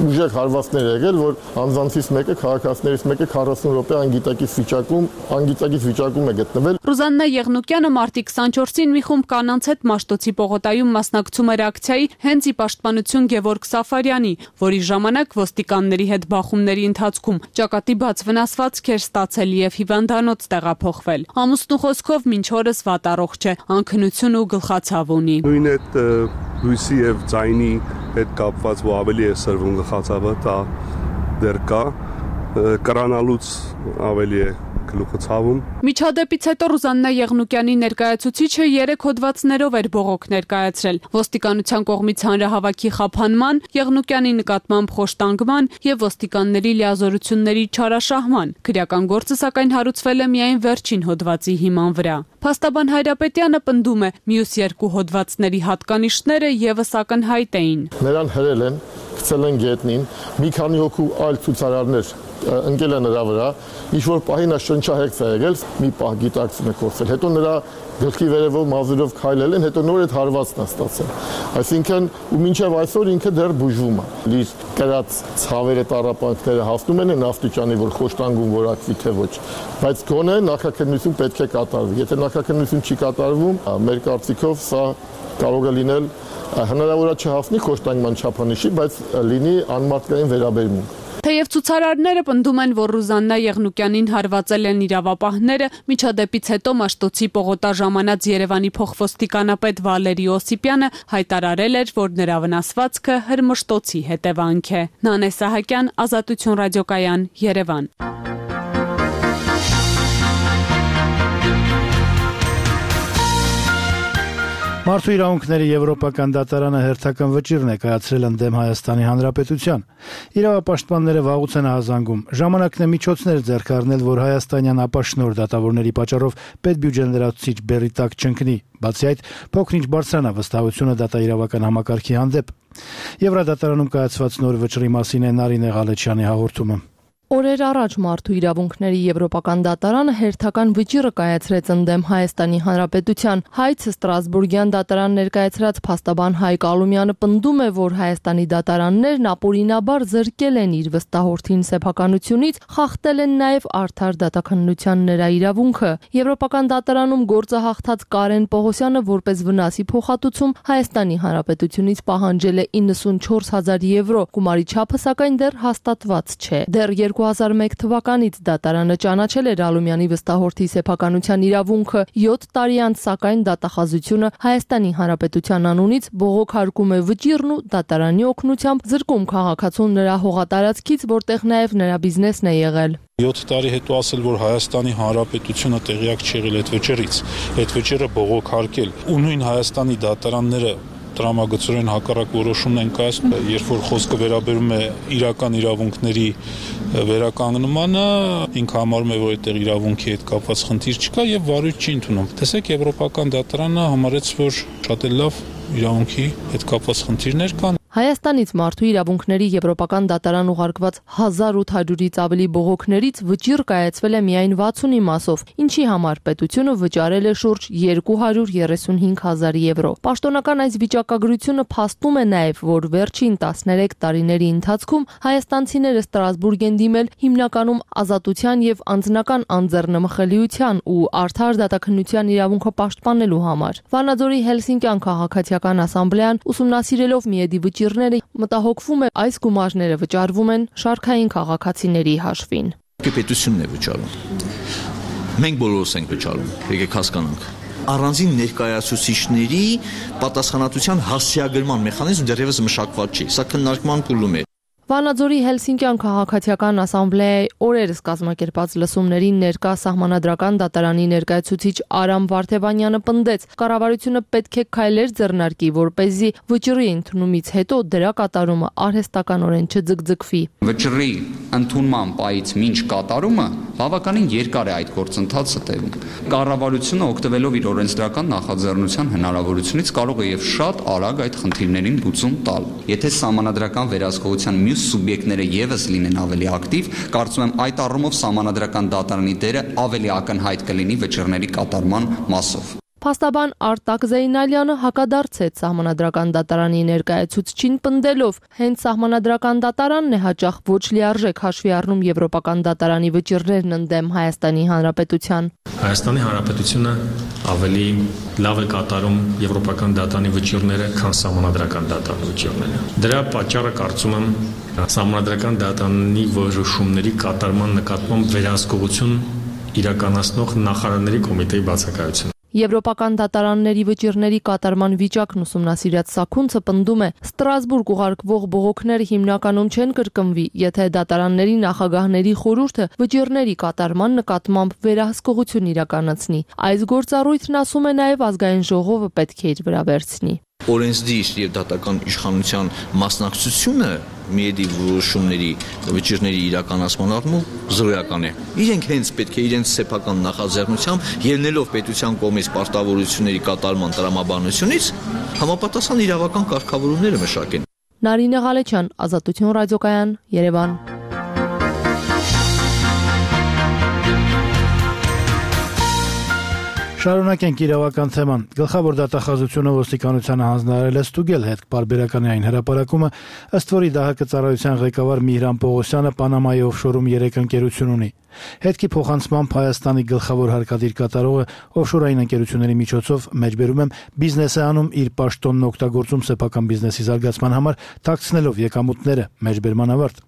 ուժեղ հարվածներ եղել, որ անձանցից մեկը քաղաքացիներից մեկը քառասուն րոպե անգիտակից վիճակում, անգիտակից վիճակում է գտնվել։ Ռուզաննա Եղնուկյանը մարտի քսանչորսին մի խումբ կանանց հետ Մաշտոցի պողոտայում մասնակցում էր ակցիայի հենց ի պաշտպանություն Գևորգ Սաֆարյանի, որի ժամանակ ոստիկանների հետ բախումների ընթացքում ճակատի բաց վնասվածք էր ստացել եւ հիվանդանոց տեղափոխվել։ Ամուսնու խոսքով մինչ օրս վատ առողջ է, անքնություն ու գլխացավ ունի։ Նույն այդ լույսի եւ ձայնի հետ կապված, որ ավելի է սրվում գլխացավը, դա դեռ կա, կրանալուց ավելի է գլուխը ցավում։ Միջադեպից հետո Ռուզաննա Եղնուկյանի ներկայացուցիչը երեք հոդվածներով էր բողոք ներկայացրել՝ ոստիկանության կողմից հանրահավաքի խափանման, Եղնուկյանի նկատմամբ խոշտանգման եւ ոստիկանների լիազորությունների չարաշահման։ Քրեական գործը սակայն հարուցվել է միայն վերջին հոդվածի հիման վրա։ Փաստաբան Հայրապետյանը պնդում է, մյուս երկու հոդվածների հատկանիշները եւս ակնհայտ էին։ Նրան հրել են, գցել են գետնին, մի քանի հոգու այլ ցուցարարներ ընկել են նրա վրա, ինչ որ պահի նա շնչահեղձ է եղել, մի պահ գիտակցում է կորցել, հետո նրա գլխի վերևով մազերով քայլել են, հետո նոր այդ հարվածն է ստացել։ Այսինքն ու մինչև այսօր ինքը դեռ բուժվում է։ Իր կրած ցավերը, տառապանքները հասնում են նավթիճանի, որ խոշտանգում որակվի թե ոչ, բայց գոնե նախաքննություն պետք է կատարվի։ Եթե նախաքննություն չի կատարվում, մեր կարծիքով սա կարող է լինել հնարավոր է չհասնի խոշտանգման չափանիշի, բայց լինի անմարդկային վերաբերմունք։ Թեև ցուցարարները պնդում են, որ Ռուզաննա Եղնուկյանին հարվածել են իրավապահները, միջադեպից հետո Մաշտոցի պողոտա ժամանած Երևանի փոխոստիկանապետ Վալերի Օսիպյանը հայտարարել էր, որ նրա վնասվածքը հրմշտոցի հետևանք է։ Նանե Սահակյան, Ազատություն ռադիոկայան, Երևան։ Մարդու իրավունքների եվրոպական դատարանը հերթական վճիռ ներկայացրել ընդդեմ Հայաստանի Հանրապետության։ Իրավապաշտպանները վաղուց են ահազանգում ժամանակն է միջոցներ ձեռք առնել, որ հայաստանյան ապաշնոր դատավորների պատճառով պետբյուջեն լրացուցիչ բեռի տակ չընկնի։ Բացի այդ, փոքր-ինչ բարձրանա վստահությունը դատաիրավական համակարգի հանդեպ։ Եվրադատարանում կայացված նոր վճռի մասին է Նարինե Ղալեչյանի հաղորդումը։ Օրեր առաջ Մարդու իրավունքների եվրոպական դատարանը հերթական վճիռը կայացրեց ընդդեմ Հայաստանի Հանրապետության։ Հայց Ստրասբուրգյան դատարան ներկայացրած փաստաբան Հայկ Ալումյանը պնդում է, որ Հայաստանի դատարաններն ապօրինաբար զրկել են իր վստահորդին սեփականությունից, խախտել են նաև արդար դատաքննության նրա իրավունքը։ Եվրոպական դատարանում գործը հաղթած Կարեն Պողոսյանը որպես վնասի փոխհատուցում Հայաստանի Հանրապետությունից պահանջել է իննսունչորս հազար եվրո, գումարի չափը սակայն դեռ հաստատված չէ։ Դեռ երկու հազար մեկ թվականից դատարանը ճանաչել էր Ալումյանի վստահորդի սեփականության իրավունքը, յոթ տարի անց սակայն դատախազությունը Հայաստանի Հանրապետության անունից բողոքարկում է վճիռն ու դատարանի օգնությամբ զրկում քաղաքացուն նրա հողատարածքից, որտեղ նաև նրա բիզնեսն է եղել։ յոթ տարի հետո ասել, որ Հայաստանի Հանրապետությունը տեղյակ չի եղել այդ վճռից, այդ վճիռը բողոքարկել ու նույն Հայաստանի դատարանները տրամագծորեն հակառակ որոշումն են կայացնում, երբ որ խոսքը վերաբերում է իրական իրավունքների վերականգնմանը, ինքը համարում է, որ այդտեղ իրավունքի հետ կապված խնդիր չկա եւ վարույթ չի ընդունում։ Տեսեք, եվրոպական դատարանը համարեց, որ շատ էլ լավ իրավունքի հետ կապված խնդիրներ կան։ Հայաստանից մարդու իրավունքների եվրոպական դատարան ուղարկված հազար ութ հարյուրից ավելի բողոքներից վճիռ կայացվել է միայն վաթսունի մասով, ինչի համար պետությունը վճարել է շուրջ երկու հարյուր երեսունհինգ հազար եվրո։ Պաշտոնական այս վիճակագրությունը փաստում է նաև, որ վերջին տասներեք տարիների ընթացքում հայաստանցիները Ստրասբուրգ են դիմել հիմնականում ազատության եւ անձնական անձեռնմխելիության ու արդար դատաքննության իրավունքը պաշտպանելու համար։ Վանաձորի Հելսինկյան քաղաքացիական ասամբլեան ուսումնասիրելով միեդի վճիռները մտահոգվում է այս գումարները վճարվում են շարքային քաղաքացիների հաշվին։ Պետությունն է վճարում։ Մենք բոլորս ենք վճարում, եկեք հասկանանք։ Առանձին ներկայացուցիչների պատասխանատվության հասցեագրման մեխանիզմ դեռևս մշակված չի, սա քննարկման փուլում է։ Վանաձորի Հելսինկյան քաղաքացիական ասամբլեայի օրերս կազմակերպած լսումներին ներկա սահմանադրական դատարանի ներկայացուցիչ Արամ Վարդևանյանը պնդեց, կառավարությունը պետք է քայլեր ձեռնարկի, որպեսզի վճռի ընդունումից հետո դրա կատարումը արհեստականորեն չձգձգվի։ Վճռի ընդունման պահից մինչ կատարումը բավականին երկար է այդ գործընթացը տևում։ Կառավարությունը օգտվելով իր օրենսդրական նախաձեռնության հնարավորությունից կարող է եւ շատ արագ այդ խնդիրներին լուծում տալ։ Եթե սահմանադրական վերահսկողության մյուս սուբյեկտները եւս լինեն ավելի ակտիվ, կարծում եմ այդ առումով սահմանադրական դատարանի դերը ավելի ակնհայտ կլինի վճռների կատարման մասով։ Փաստաբան Արտակ Զեյնալյանը հակադարձեց սահմանադրական դատարանի ներկայացուցչին պնդելով, հենց սահմանադրական դատարանն է հաճախ ոչ լիարժեք հաշվի առնում եվրոպական դատարանի վճիռներն ընդդեմ Հայաստանի Հանրապետության։ Հայաստանի Հանրապետությունը ավելի լավ է կատարում եվրոպական դատարանի վճիռները, քան սահմանադրական դատարանի վճիռները։ Դրա պատճառը կարծում եմ սահմանադրական դատարանի որոշումների կատարման նկատմամբ վերահսկողություն իրականացնող նախարարների կոմիտեի բացակայությունը։ Եվրոպական դատարանների վճիռների կատարման վիճակն ուսումնասիրած Սաքունցը պնդում է, Ստրասբուրգ ուղարկվող բողոքները հիմնականում չեն կրկնվի, եթե դատարանների նախագահների խորհուրդը վճիռների կատարման նկատմամբ վերահսկողություն իրականացնի։ Այս գործառույթն, ասում է, նաև ազգային ժողովը պետք է իր վրա վերցնի։ Օրենսդիր եւ դատական իշխանության մասնակցությունը միեդի որոշումների վճիռների իրականացման առումով զրոյական է։ Իրենք հենց պետք է իրենց սեփական նախաձեռնությամբ ելնելով պետության կողմից պարտավորությունների կատարման տրամաբանությունից համապատասխան իրավական կարգավորումները մշակեն։ Նարինե Ղալեչյան, Ազատություն ռադիոկայան, Երևան։ Շարունակենք իրավական թեման։ Գլխավոր դատախազությունը ոստիկանությանը հանձնարարել է ստուգել հետ պարբերականի այն հրապարակումը, ըստ որի ԴՀԿ ծառայության ղեկավար Միհրան Պողոսյանը Պանամայի օֆշորում երեք ընկերություն ունի։ Հետքի փոխանցմամբ Հայաստանի գլխավոր հարկադիր կատարողը օֆշորային ընկերությունների միջոցով մեջբերում եմ բիզնես է անում իր պաշտոնն օգտագործում սեփական բիզնեսի զարգացման համար, թաքցնելով եկամուտները, մեջբերման ավարտ։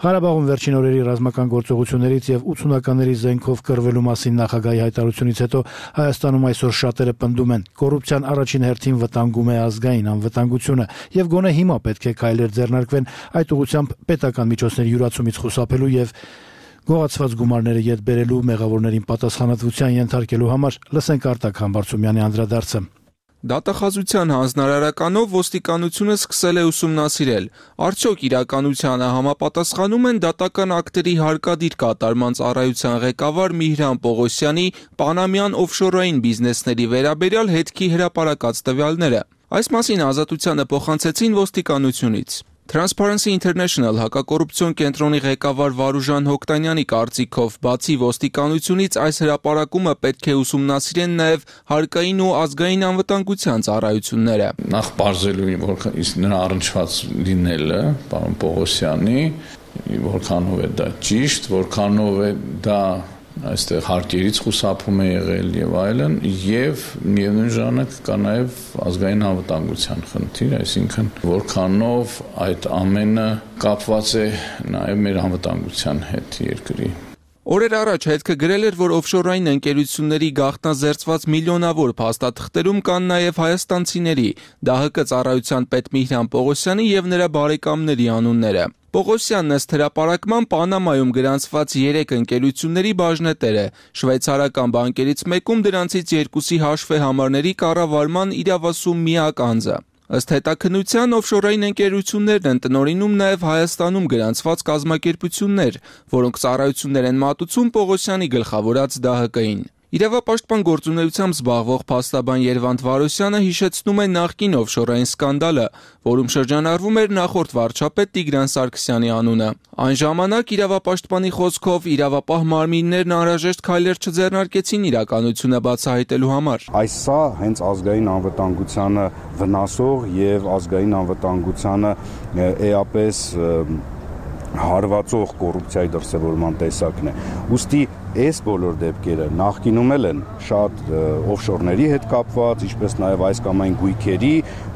Ղարաբաղում վերջին օրերի ռազմական գործողություններից եւ ութսունականների զենքով կռվելու մասին նախագահի հայտարարությունից հետո Հայաստանում այսօր շատերը պնդում են, կոռուպցիան առաջին հերթին վտանգում է ազգային անվտանգությունը եւ գոնե հիմա պետք է քայլեր ձեռնարկվեն այդ ուղղությամբ պետական միջոցների յուրացումից խուսափելու եւ գողացված գումարները յետ բերելու մեղավորներին պատասխանատվության ենթարկելու համար։ Լսենք Արտակ Համբարձումյանի անդրադարձը։ Դատախազության հանձնարարականով ոստիկանությունը սկսել է ուսումնասիրել, արդյոք իրականությանը համապատասխանում են դատական ակտերի հարկադիր կատարման ծառայության ղեկավար Միհրան Պողոսյանի պանամյան օֆշորային բիզնեսների վերաբերյալ հետքի հրապարակած տվյալները։ Այս մասին Ազատությանը փոխանցեցին ոստիկանությունից։ Transparency International հակակոռուպցիոն կենտրոնի ղեկավար Վարուժան Հոկտանյանի կարծիքով, բացի ոստիկանությունից այս հրապարակումը պետք է ուսումնասիրեն նաև հարկային ու ազգային անվտանգության ծառայությունները։ Նախ բարձելու որ նրա առնչված լինելը, պարոն Պողոսյանի, որքանով է դա ճիշտ, որքանով է դա այստեղ հարկերից խուսափում է եղել եւ այլն, եւ միևնույն ժամանակ կա նաեւ ազգային անվտանգության խնդիր, այսինքն որքանով այդ ամենը կապված է նաեւ մեր անվտանգության հետ երկրի։ Օրեր առաջ հետքը գրել էր, որ օֆշորային ընկերությունների գաղտնազերծված միլիոնավոր փաստաթղթերում կան նաև հայաստանցիների, ԴՀԿ ծառայության պետ Միհրան Պողոսյանի եւ նրա բարեկամների անունները։ Պողոսյանն ըստ հրապարակման Պանամայում գրանցված երեք ընկերությունների բաժնետեր է, շվեյցարական բանկերից մեկում դրանցից երկուսի հաշվեհամարների կառավարման իրավասու միակ անձը։ Ըստ հետաքննության օֆշորային ընկերություններն են տնօրինում նաև Հայաստանում գրանցված կազմակերպություններ, որոնք ծառայություններ են մատուցում Պողոսյանի գլխավորած ԴՀԿ-ին։ Իրավապաշտպան գործունեությամբ զբաղվող փաստաբան Երվանդ Վարոսյանը հիշեցնում է նախկին օֆշորային սկանդալը, որում շրջանառվում էր նախորդ վարչապետ Տիգրան Սարգսյանի անունը։ Այն ժամանակ իրավապաշտպանի խոսքով իրավապահ մարմիններն անհրաժեշտ քայլեր չձեռնարկեցին իրականությունը բացահայտելու համար։ Այս սա հենց ազգային անվտանգությանը վնասող եւ ազգային անվտանգությանը էապես հարվածող կոռուպցիայի դրսևորման տեսակն է։ Ուստի այս բոլոր դեպքերը նախկինում են շատ օֆշորների հետ կապված, ինչպես նաև այս կամ այն գույքերի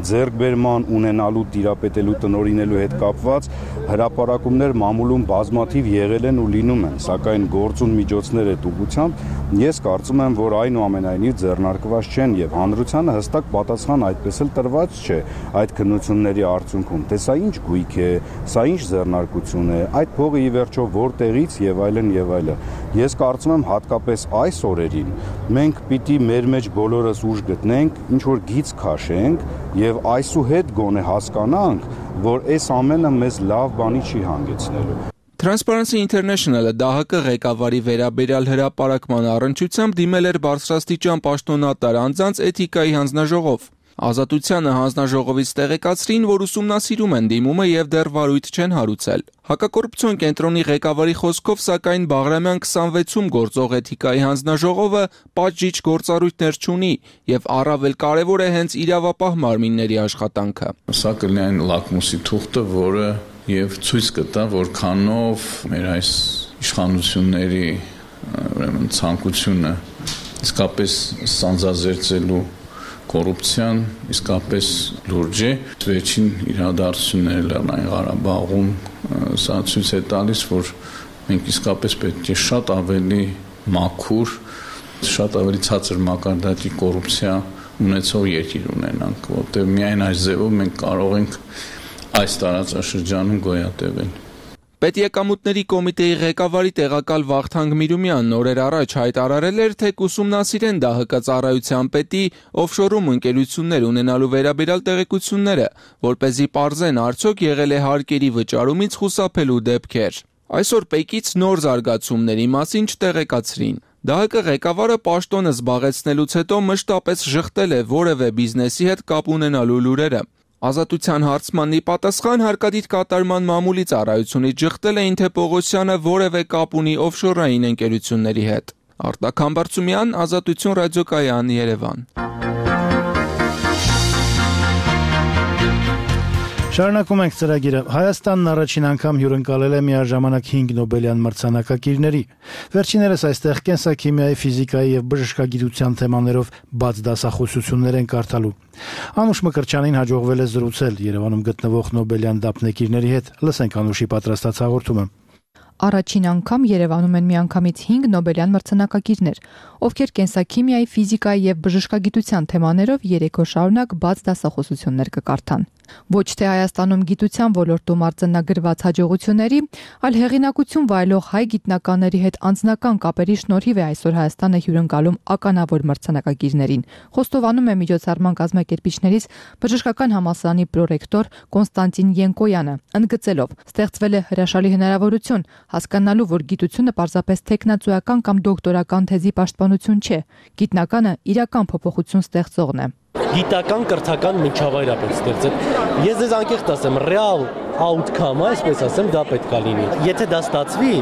ձեռքբերման ունենալու, տիրապետելու, տնօրինելու հետ կապված հրապարակումներ մամուլում բազմաթիվ եղել են ու լինում են, սակայն գործուն միջոցներ այդ ուղղությամբ ես կարծում եմ, որ այնուամենայնիվ ձեռնարկված չեն եւ հանրությանը հստակ պատասխան այդպես էլ տրված չէ այդ քննությունների արդյունքում, թե սա ինչ գույք է, սա ինչ ձեռնարկություն է, այդ փողը ի վերջո որտեղից եւ այլն եւ այլն։ Ես կարծում եմ հատկապես այս օրերին մենք պիտի մեր մեջ բոլորս ուժ գտնենք, ինչ որ գիծ քաշենք եւ այսուհետ գոնե հասկանանք, որ այս ամենը մեզ լավ բանի չի հանգեցնելու։ Transparency International-ը Դա Հ Կ ղեկավարի վերաբերյալ հրապարակման առնչությամբ դիմել էր բարձրաստիճան պաշտոնատար անձանց էթիկայի հանձնաժողով։ Ազատությանը հանձնաժողովից տեղեկացրին, որ ուսումնասիրում են դիմումը եւ դեռ վարույթ չեն հարուցել։ Հակակոռուպցիոն կենտրոնի ղեկավարի խոսքով, սակայն Բաղրամյան քսանվեցում գործող էթիկայի հանձնաժողովը պատժիչ գործառույթներ չունի եւ առավել կարեւոր է հենց իրավապահ մարմինների աշխատանքը։ Սա կլինի լակմուսի թուղթը, որը եւ ցույց կտա, որքանով մեր այս իշխանությունների ուրեմն ցանկությունը իսկապես սանձազերծելու կոռուպցիան իսկապես լուրջ է։ Վերջին իրադարձությունները Լեռնային Ղարաբաղում սա ցույց է տալիս, որ մենք իսկապես պետք է շատ ավելի մաքուր, շատ ավելի ցածր մակարդակի կոռուպցիա ունեցող երկիր ունենանք, որտեղ միայն այս ձևով մենք կարող ենք այս տարածաշրջանում գոյատևել։ Պետեկամուտների կոմիտեի ղեկավարի տեղակալ Վախթանգ Միրումյանն օրեր առաջ հայտարարել էր, թե կուսումնասիրեն Դա Հ Կ ծառայության պետի օֆշորում ընկերություններ ունենալու վերաբերյալ տեղեկությունները, որպեսզի պարզեն արդյոք եղել է հարկերի վճարումից խուսափելու դեպքեր։ Այսօր ՊԵԿ-ից նոր զարգացումների մասին չտեղեկացրին։ Դա Հ Կ ղեկավարը պաշտոնը զբաղեցնելուց հետո մշտապես ժխտել է որևէ բիզնեսի հետ կապ ունենալու լուրերը։ Ազատության հարցմանի պատասխան հարկադիր կատարման մամուլի ծառայությունից ժխտել էին, թե Պողոսյանը որևէ կապ ունի օֆշորային ընկերությունների հետ։ Արտակ Համբարձումյան, Ազատություն ռադիոկայան, Երևան։ Շարունակում ենք ծրագիրը։ Հայաստանն առաջին անգամ հյուրընկալել է միաժամանակ հինգ Նոբելյան մրցանակակիրների։ Վերջիներս այստեղ կենսաքիմիայի, ֆիզիկայի եւ բժշկագիտության թեմաներով բաց դասախոսություններ են կարդալու։ Անուշ Մկրտչյանին հաջողվել է զրուցել Երևանում գտնվող Նոբելյան դափնեկիրների հետ։ Լսենք Անուշի պատրաստած հաղորդումը։ Առաջին անգամ Երևանում են միանգամից հինգ Նոբելյան մրցանակակիրներ, ովքեր կենսաքիմիայի, ֆիզիկայի եւ բժշկագիտության թեմաներով երեք օր շարունակ բաց դասախոսություններ կկարդան։ Ոչ թե Հայաստանում գիտության ոլորտում արձանագրված հաջողությունների, այլ հեղինակություն վայելող հայ գիտնականների հետ անձնական կապերի շնորհիվ է այսօր Հայաստանը հյուրընկալում ականավոր մրցանակակիրներին։ Խոստովանում է միջոցառման կազմակերպիչներից բժշկական համալսարանի պրոռեկտոր Կոնստանտին Յենկոյանը, ընդգծելով. ստեղծվել է հրաշալի հնարավորություն հասկանալու, որ գիտությունը պարզապես տեխնացուական կամ դոկտորական թեզի պաշտպանություն չէ, գիտնականը իրական փոփոխություն ստեղծողն է։ Գիտական կրթական միջավայր է պետք ստեղծել։ Ես ձեզ անկեղծ ասեմ, ռեալ outcome-ը, այսպես ասեմ, դա պետք է լինի։ Եթե դա ստացվի,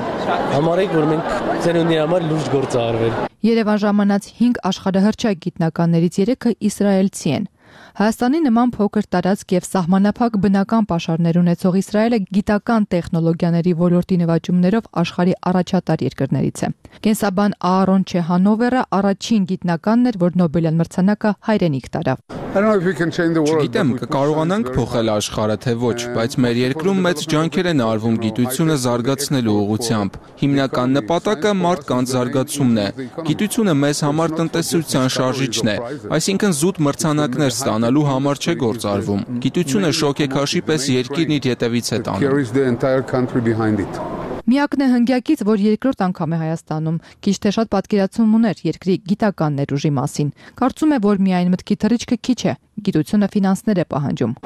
համարեք, որ մենք ծերունի համար լուրջ գործ արվել։ Երևան ժամանած հինգ աշխարհահռչակ գիտնականներից երեքը իսրայելցի են։ Հայաստանի նման փոքր տարածք եւ սահմանափակ բնական պաշարներ ունեցող Իսրայելը գիտական տեխնոլոգիաների ոլորտի նվաճումներով աշխարհի առաջատար երկրներից է։ Կենսաբան Аарոն Չեհանովերը առաջին գիտնականն էր, որ Նոբելյան մրցանակը հայրենիք տարավ։ Չգիտեմ, կկարողանանք փոխել աշխարհը թե ոչ, բայց մեր երկրում մեծ ջանքեր են արվում գիտությունը զարգացնելու ուղղությամբ։ Հիմնական նպատակը մարդկանց զարգացումն է։ Գիտությունը մեզ համար տնտեսության շարժիչն է, այսինքն զուտ մրցանակներ ստանալու համար չէ գործ արվում։ Գիտությունը շոկեքաշի պես երկիրն իր հետևից է տանում։ Միակն է հնգյակից, որ երկրորդ անգամ է Հայաստանում, քիչ թե շատ պատկերացում ուներ երկրի գիտական ներուժի մասին։ Կարծում է, որ միայն մտքի թռիչքը քիչ է, գիտությունը ֆինանսներ է պահանջում։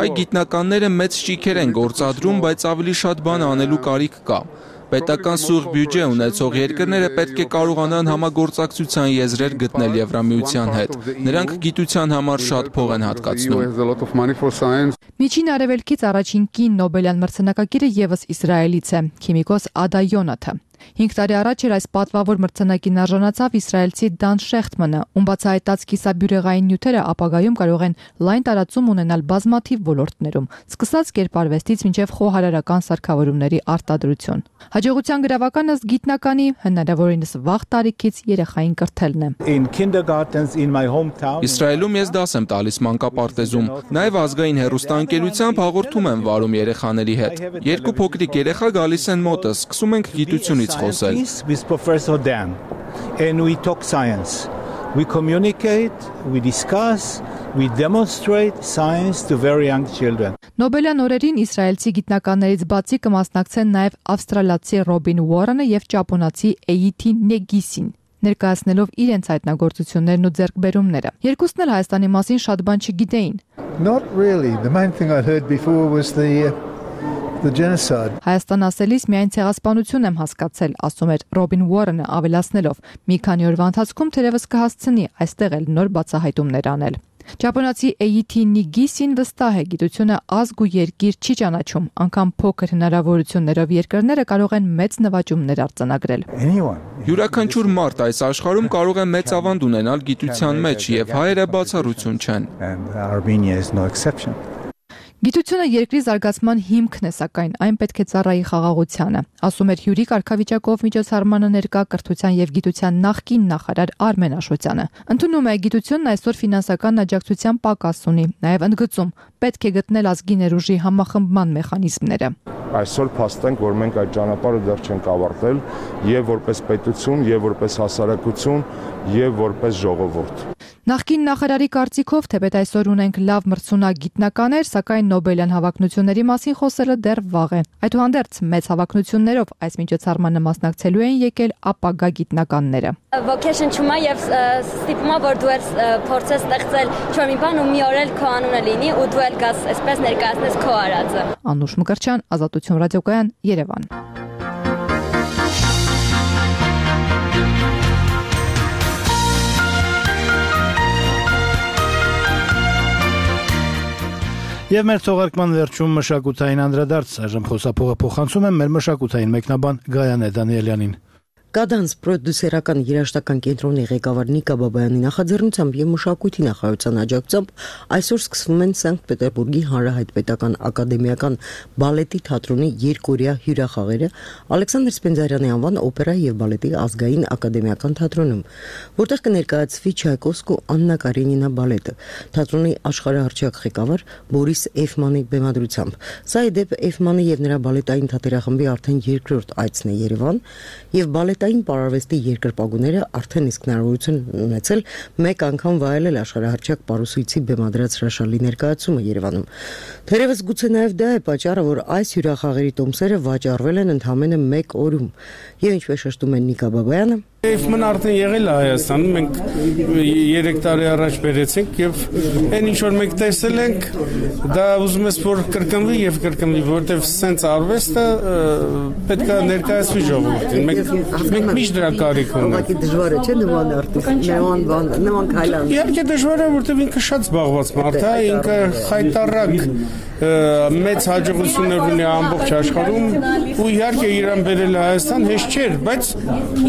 Հայ գիտնականները մեծ ճիքեր են գործադրում, բայց ավելի շատ բան անելու կարիք կա։ Պետական սուղ բյուջե ունեցող երկրները պետք է կարողանան համագործակցության եզրեր գտնել Եվրամիության հետ։ Նրանք գիտության համար շատ փող են հատկացնում։ Միջին Արևելքից առաջին կին Նոբելյան մրցանակակիրը ևս Իսրայելից է, քիմիկոս Ադա Յոնաթը։ Հինգ տարի առաջ էր այս պատվավոր մրցանակին արժանացավ իսրայելցի Դան Շեխտմանը, ում բացահայտած կիսաբյուրեղային նյութերը ապագայում կարող են լայն տարածում ունենալ բազմաթիվ ոլորտներում, սկսած կերպարվեստից մինչև խոհարարական սարքավորումների արտադրություն։ Հաջողության գրավականը ըստ գիտնականի հնարավորինս վաղ տարիքից երեխային կրթելն է։ Իսրայելում ես դաս եմ տալիս մանկապարտեզում, նաև ազգային հեռուստաընկերությամբ հաղորդում եմ վարում երեխաների հետ։ Երկու փոքրիկ երեխա գալիս են մոտս, սկսում ենք գիտությունից խոսել։ With Professor Dan, and we talk science. We communicate, we discuss, we demonstrate science to very young children. Նոբելյան օրերին իսրայելցի գիտնականներից բացի կմասնակցեն նաև ավստրալացի Ռոբին Ուորենը եւ ճապոնացի Էյիթի Նեգիսին, ներկայացնելով իրենց հայտնագործություններն ու ձեռքբերումները։ Երկուսն էլ Հայաստանի մասին շատ բան չգիտեին։ Not really. The main thing I'd heard before was the The genocide. Հայաստան ասելիս միայն ցեղասպանություն եմ հասկացել, ասում էր Ռոբին Ուորենը, ավելացնելով. մի քանի օրվա ընթացքում թերևս կհասցնի այստեղ էլ նոր բացահայտումներ անել։ Ճապոնացի Էյիթի Նիգիսին վստահ է, գիտությունը ազգ ու երկիր չի ճանաչում, անգամ փոքր հնարավորություններով երկրները կարող են մեծ նվաճումներ արձանագրել։ Յուրաքանչյուր մարդ այս աշխարհում կարող է մեծ ավանդ ունենալ գիտության մեջ, եւ հայերը բացառություն չեն։ Գիտությունը երկրի զարգացման հիմքն է, սակայն այն պետք է ծառայի խաղաղությանը, ասում էր հյուրի կարգավիճակով միջոցառմանը ներկա կրթության եւ գիտության նախկին նախարար Արմեն Աշոտյանը։ Ընդունում է, գիտությունն այսօր ֆինանսական աջակցության պակաս ունի, նաեւ ընդգծում, պետք է գտնել ազգի ներուժի համախմբման մեխանիզմները։ Այսօր փաստենք, որ մենք այդ ճանապարհը դեռ չենք ավարտել եւ որպես պետություն, եւ որպես հասարակություն, եւ որպես ժողովուրդ։ Նախկին նախարարի կարծիքով, թեպետ այսօր ունենք լավ մրցունակ գիտնականներ, սակայն Նոբելյան հավակնությունների մասին խոսելը դեռ վաղ է։ Այդուհանդերձ մեծ հավակնություններով այս միջոցառմանը մասնակցելու են եկել ապագա գիտնականները։ Vocation չումա եւ ստիպումա, որ դու ես փորձես ստեղծել ինչ-որ մի բան ու մի օր էլ քո անունը լինի ու դու էլ գաս այսպես ներկայացնես քո արածը։ Անուշ Մկրտչյան, Ազատություն ռադիոկայան, Երևան։ Եվ մեր թողարկման վերջում մշակութային անդրադարձ, այժմ խոսափողը փոխանցում եմ մեր մշակութային մեկնաբան Գայանե Դանիելյանին։ Կադանս պրոդյուսերական երաժշտական կենտրոնի ղեկավար Նիկա Բաբայանի նախաձեռնությամբ եւ մշակույթի նախարարության աջակցությամբ այսօր սկսվում են Սանկտ Պետերբուրգի Հանրահայտ Պետական ակադեմիական բալետի թատրոնի երկօրյա հյուրախաղերը Ալեքսանդր Սպենդիարյանի անվան օպերա եւ բալետի ազգային ակադեմիական թատրոնում, որտեղ կներկայացվի Չայկովսկու Աննա Կարենինա բալետը, թատրոնի աշխարհահռչակ ղեկավար Բորիս Էֆմանի բեմադրությամբ։ Սա ի դեպ Էֆմանի եւ նրա բալետային թատերախմբի արդեն երկրորդ այցն է Երևան եւ բալետային պարարվեստի երկրպագուները արդեն իսկ հնարավորություն ունեցել մեկ անգամ վայելել աշխարհահռչակ պարուսույցի բեմադրած հրաշալի ներկայացումը Երևանում։ Թերևս գուցե նաև դա է պատճառը, որ այս հյուրախաղերի տոմսերը վաճառվել են ընդամենը մեկ օրում։ Եվ ինչպես շեշտում է Նիկա Բաբայանը, Էֆմն արդեն եղել է Հայաստանում, մենք երեք տարի առաջ բերեցինք եւ այն ինչ որ մենք տեսել ենք, դա ուզում ես որ կրկնվի եւ կրկնվի, որովհետեւ սենց արվեստը պետք է ներկայացվի ժողովրդին։ Մենք մենք միշտ դրա կարիք ունենք։ Ուղղակի դժվար է, չէ՞ նման արտիստ, նման բան, նման քայլան։ Իհարկե դժվար է, որովհետեւ ինքը շատ զբաղված մարդ է, ինքը խայտարակ մեծ հաջողություններ ունի ամբողջ աշխարհում ու իհարկե իրան բերել Հայաստան հեշտ չէր, բայց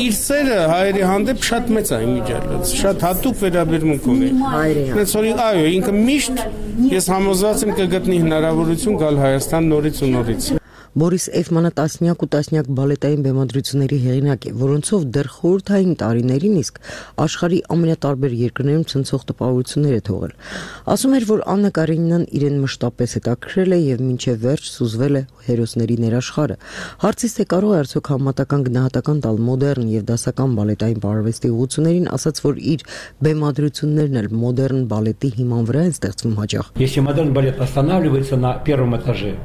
իր սերը հայերի հանդեպ շատ մեծ է իմիջիալից, շատ հատուկ վերաբերմունք ունի։ Հենց որ այո, ինքը միշտ ես համոզված եմ կգտնի հնարավորություն գալ Հայաստան նորից ու նորից։ Բորիս Էֆմանը տասնյակ ու տասնյակ բալետային բեմադրությունների հեղինակ է, որոնցով դեռ խորհրդային տարիներին իսկ աշխարհի ամենատարբեր երկրներում ցնցող տպավորություններ է թողել։ Ասում էր, որ Աննա Կարենինան իրեն մշտապես հետաքրքրել է եւ մինչեւ վերջ սուզվել է հերոսների ներաշխարը։ Հարցից թե կարող է արդյոք համատական գնահատական տալ մոդեռն եւ դասական балетային պարարվեստի ուղղություններին, ասաց, որ իր բեմադրություններն էլ մոդեռն բալետի հիման վրա են ստեղծվում հաճախ։ Если модерн балет останавливается на первом этаже,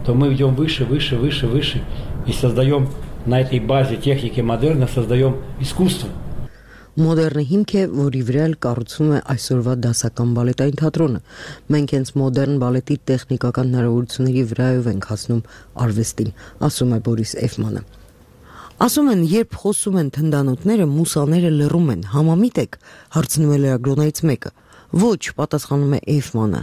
то мы идем выше, выше, выше, выше и создаем на этой базе техники модерна создаем искусство. Մոդեռնը հիմք է, որի վրա էլ կառուցվում է այսօրվա դասական բալետային թատրոնը։ Մենք հենց մոդեռն բալետի տեխնիկական հնարավորությունների վրայով ենք հասնում արվեստին, ասում է Բորիս Էֆմանը։ Ասում են, երբ խոսում են թնդանոթները, մուսաները լռում են։ Համամիտ եք, հարցնում է լրագրողներից մեկը։ Ոչ, պատասխանում է Էյֆմանը։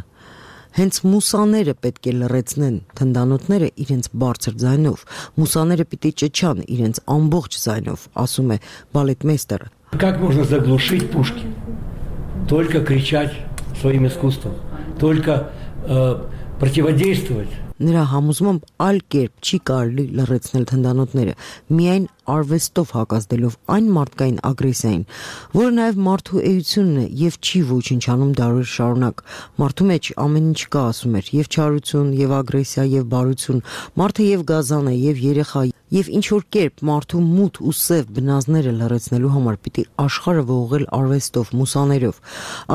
Հենց մուսաները պետք է լռեցնեն թնդանոթները իրենց բարձր ձայնով։ Մուսաները պիտի ճչան իրենց ամբողջ ձայնով, ասում է բալետմեյստերը։ Как можно заглушить пушки? Только кричать своим искусством, только э, противодействовать. Նրա համոզմամբ այլ կերպ չի կարելի լռեցնել թնդանոթները, միայն արվեստով հակազդելով այն մարդկային ագրեսիային, որը նաև մարդու էությունն է եւ չի ոչնչանում դարեր շարունակ։ Մարդու մեջ ամեն ինչ կա, ասում էր, եւ չարություն, եւ ագրեսիա, եւ բարություն, մարդը եւ գազան է, եւ երեխա, եւ ինչ որ կերպ մարդու մութ ու սև բնազները լռեցնելու համար պիտի աշխարհը ողողել արվեստով, մուսաներով։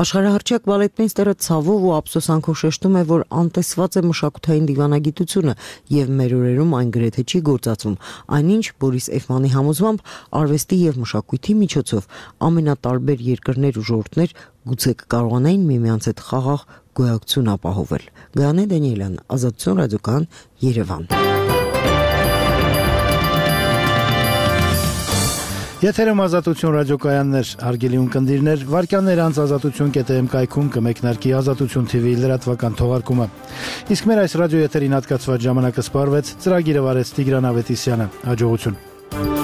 Աշխարհահռչակ բալետմեյստերը ցավով ու ափսոսանքով շեշտում է, որ անտեսված է մշակութային դիվանագիտությունը եւ մեր օրերում այն գրեթե չի գործածվում։ Այնինչ Բորիս Էյֆմանի համոզմամբ արվեստի եւ մշակույթի միջոցով ամենատարբեր երկրներ ու ժողովուրդներ գուցե կկարողանային միմյանց հետ խաղաղ գոյակցություն ապահովել։ Գայանե Դանիելյան, Ազատություն ռադիոկայան, Երևան։ Եթերում Ազատություն ռադիոկայաններ, հարգելի ունկնդիրներ, վարքյաններ անց ազատություն կետ եմ կայքում կմեկնարկի Ազատություն թի վի լրատվական թողարկումը։ Իսկ մեր այս ռադիո եթերին հատկացված ժամանակը սպառվեց, ծրագիրը վարեց Տիգրան Ավետիսյանը։ Հաջողություն։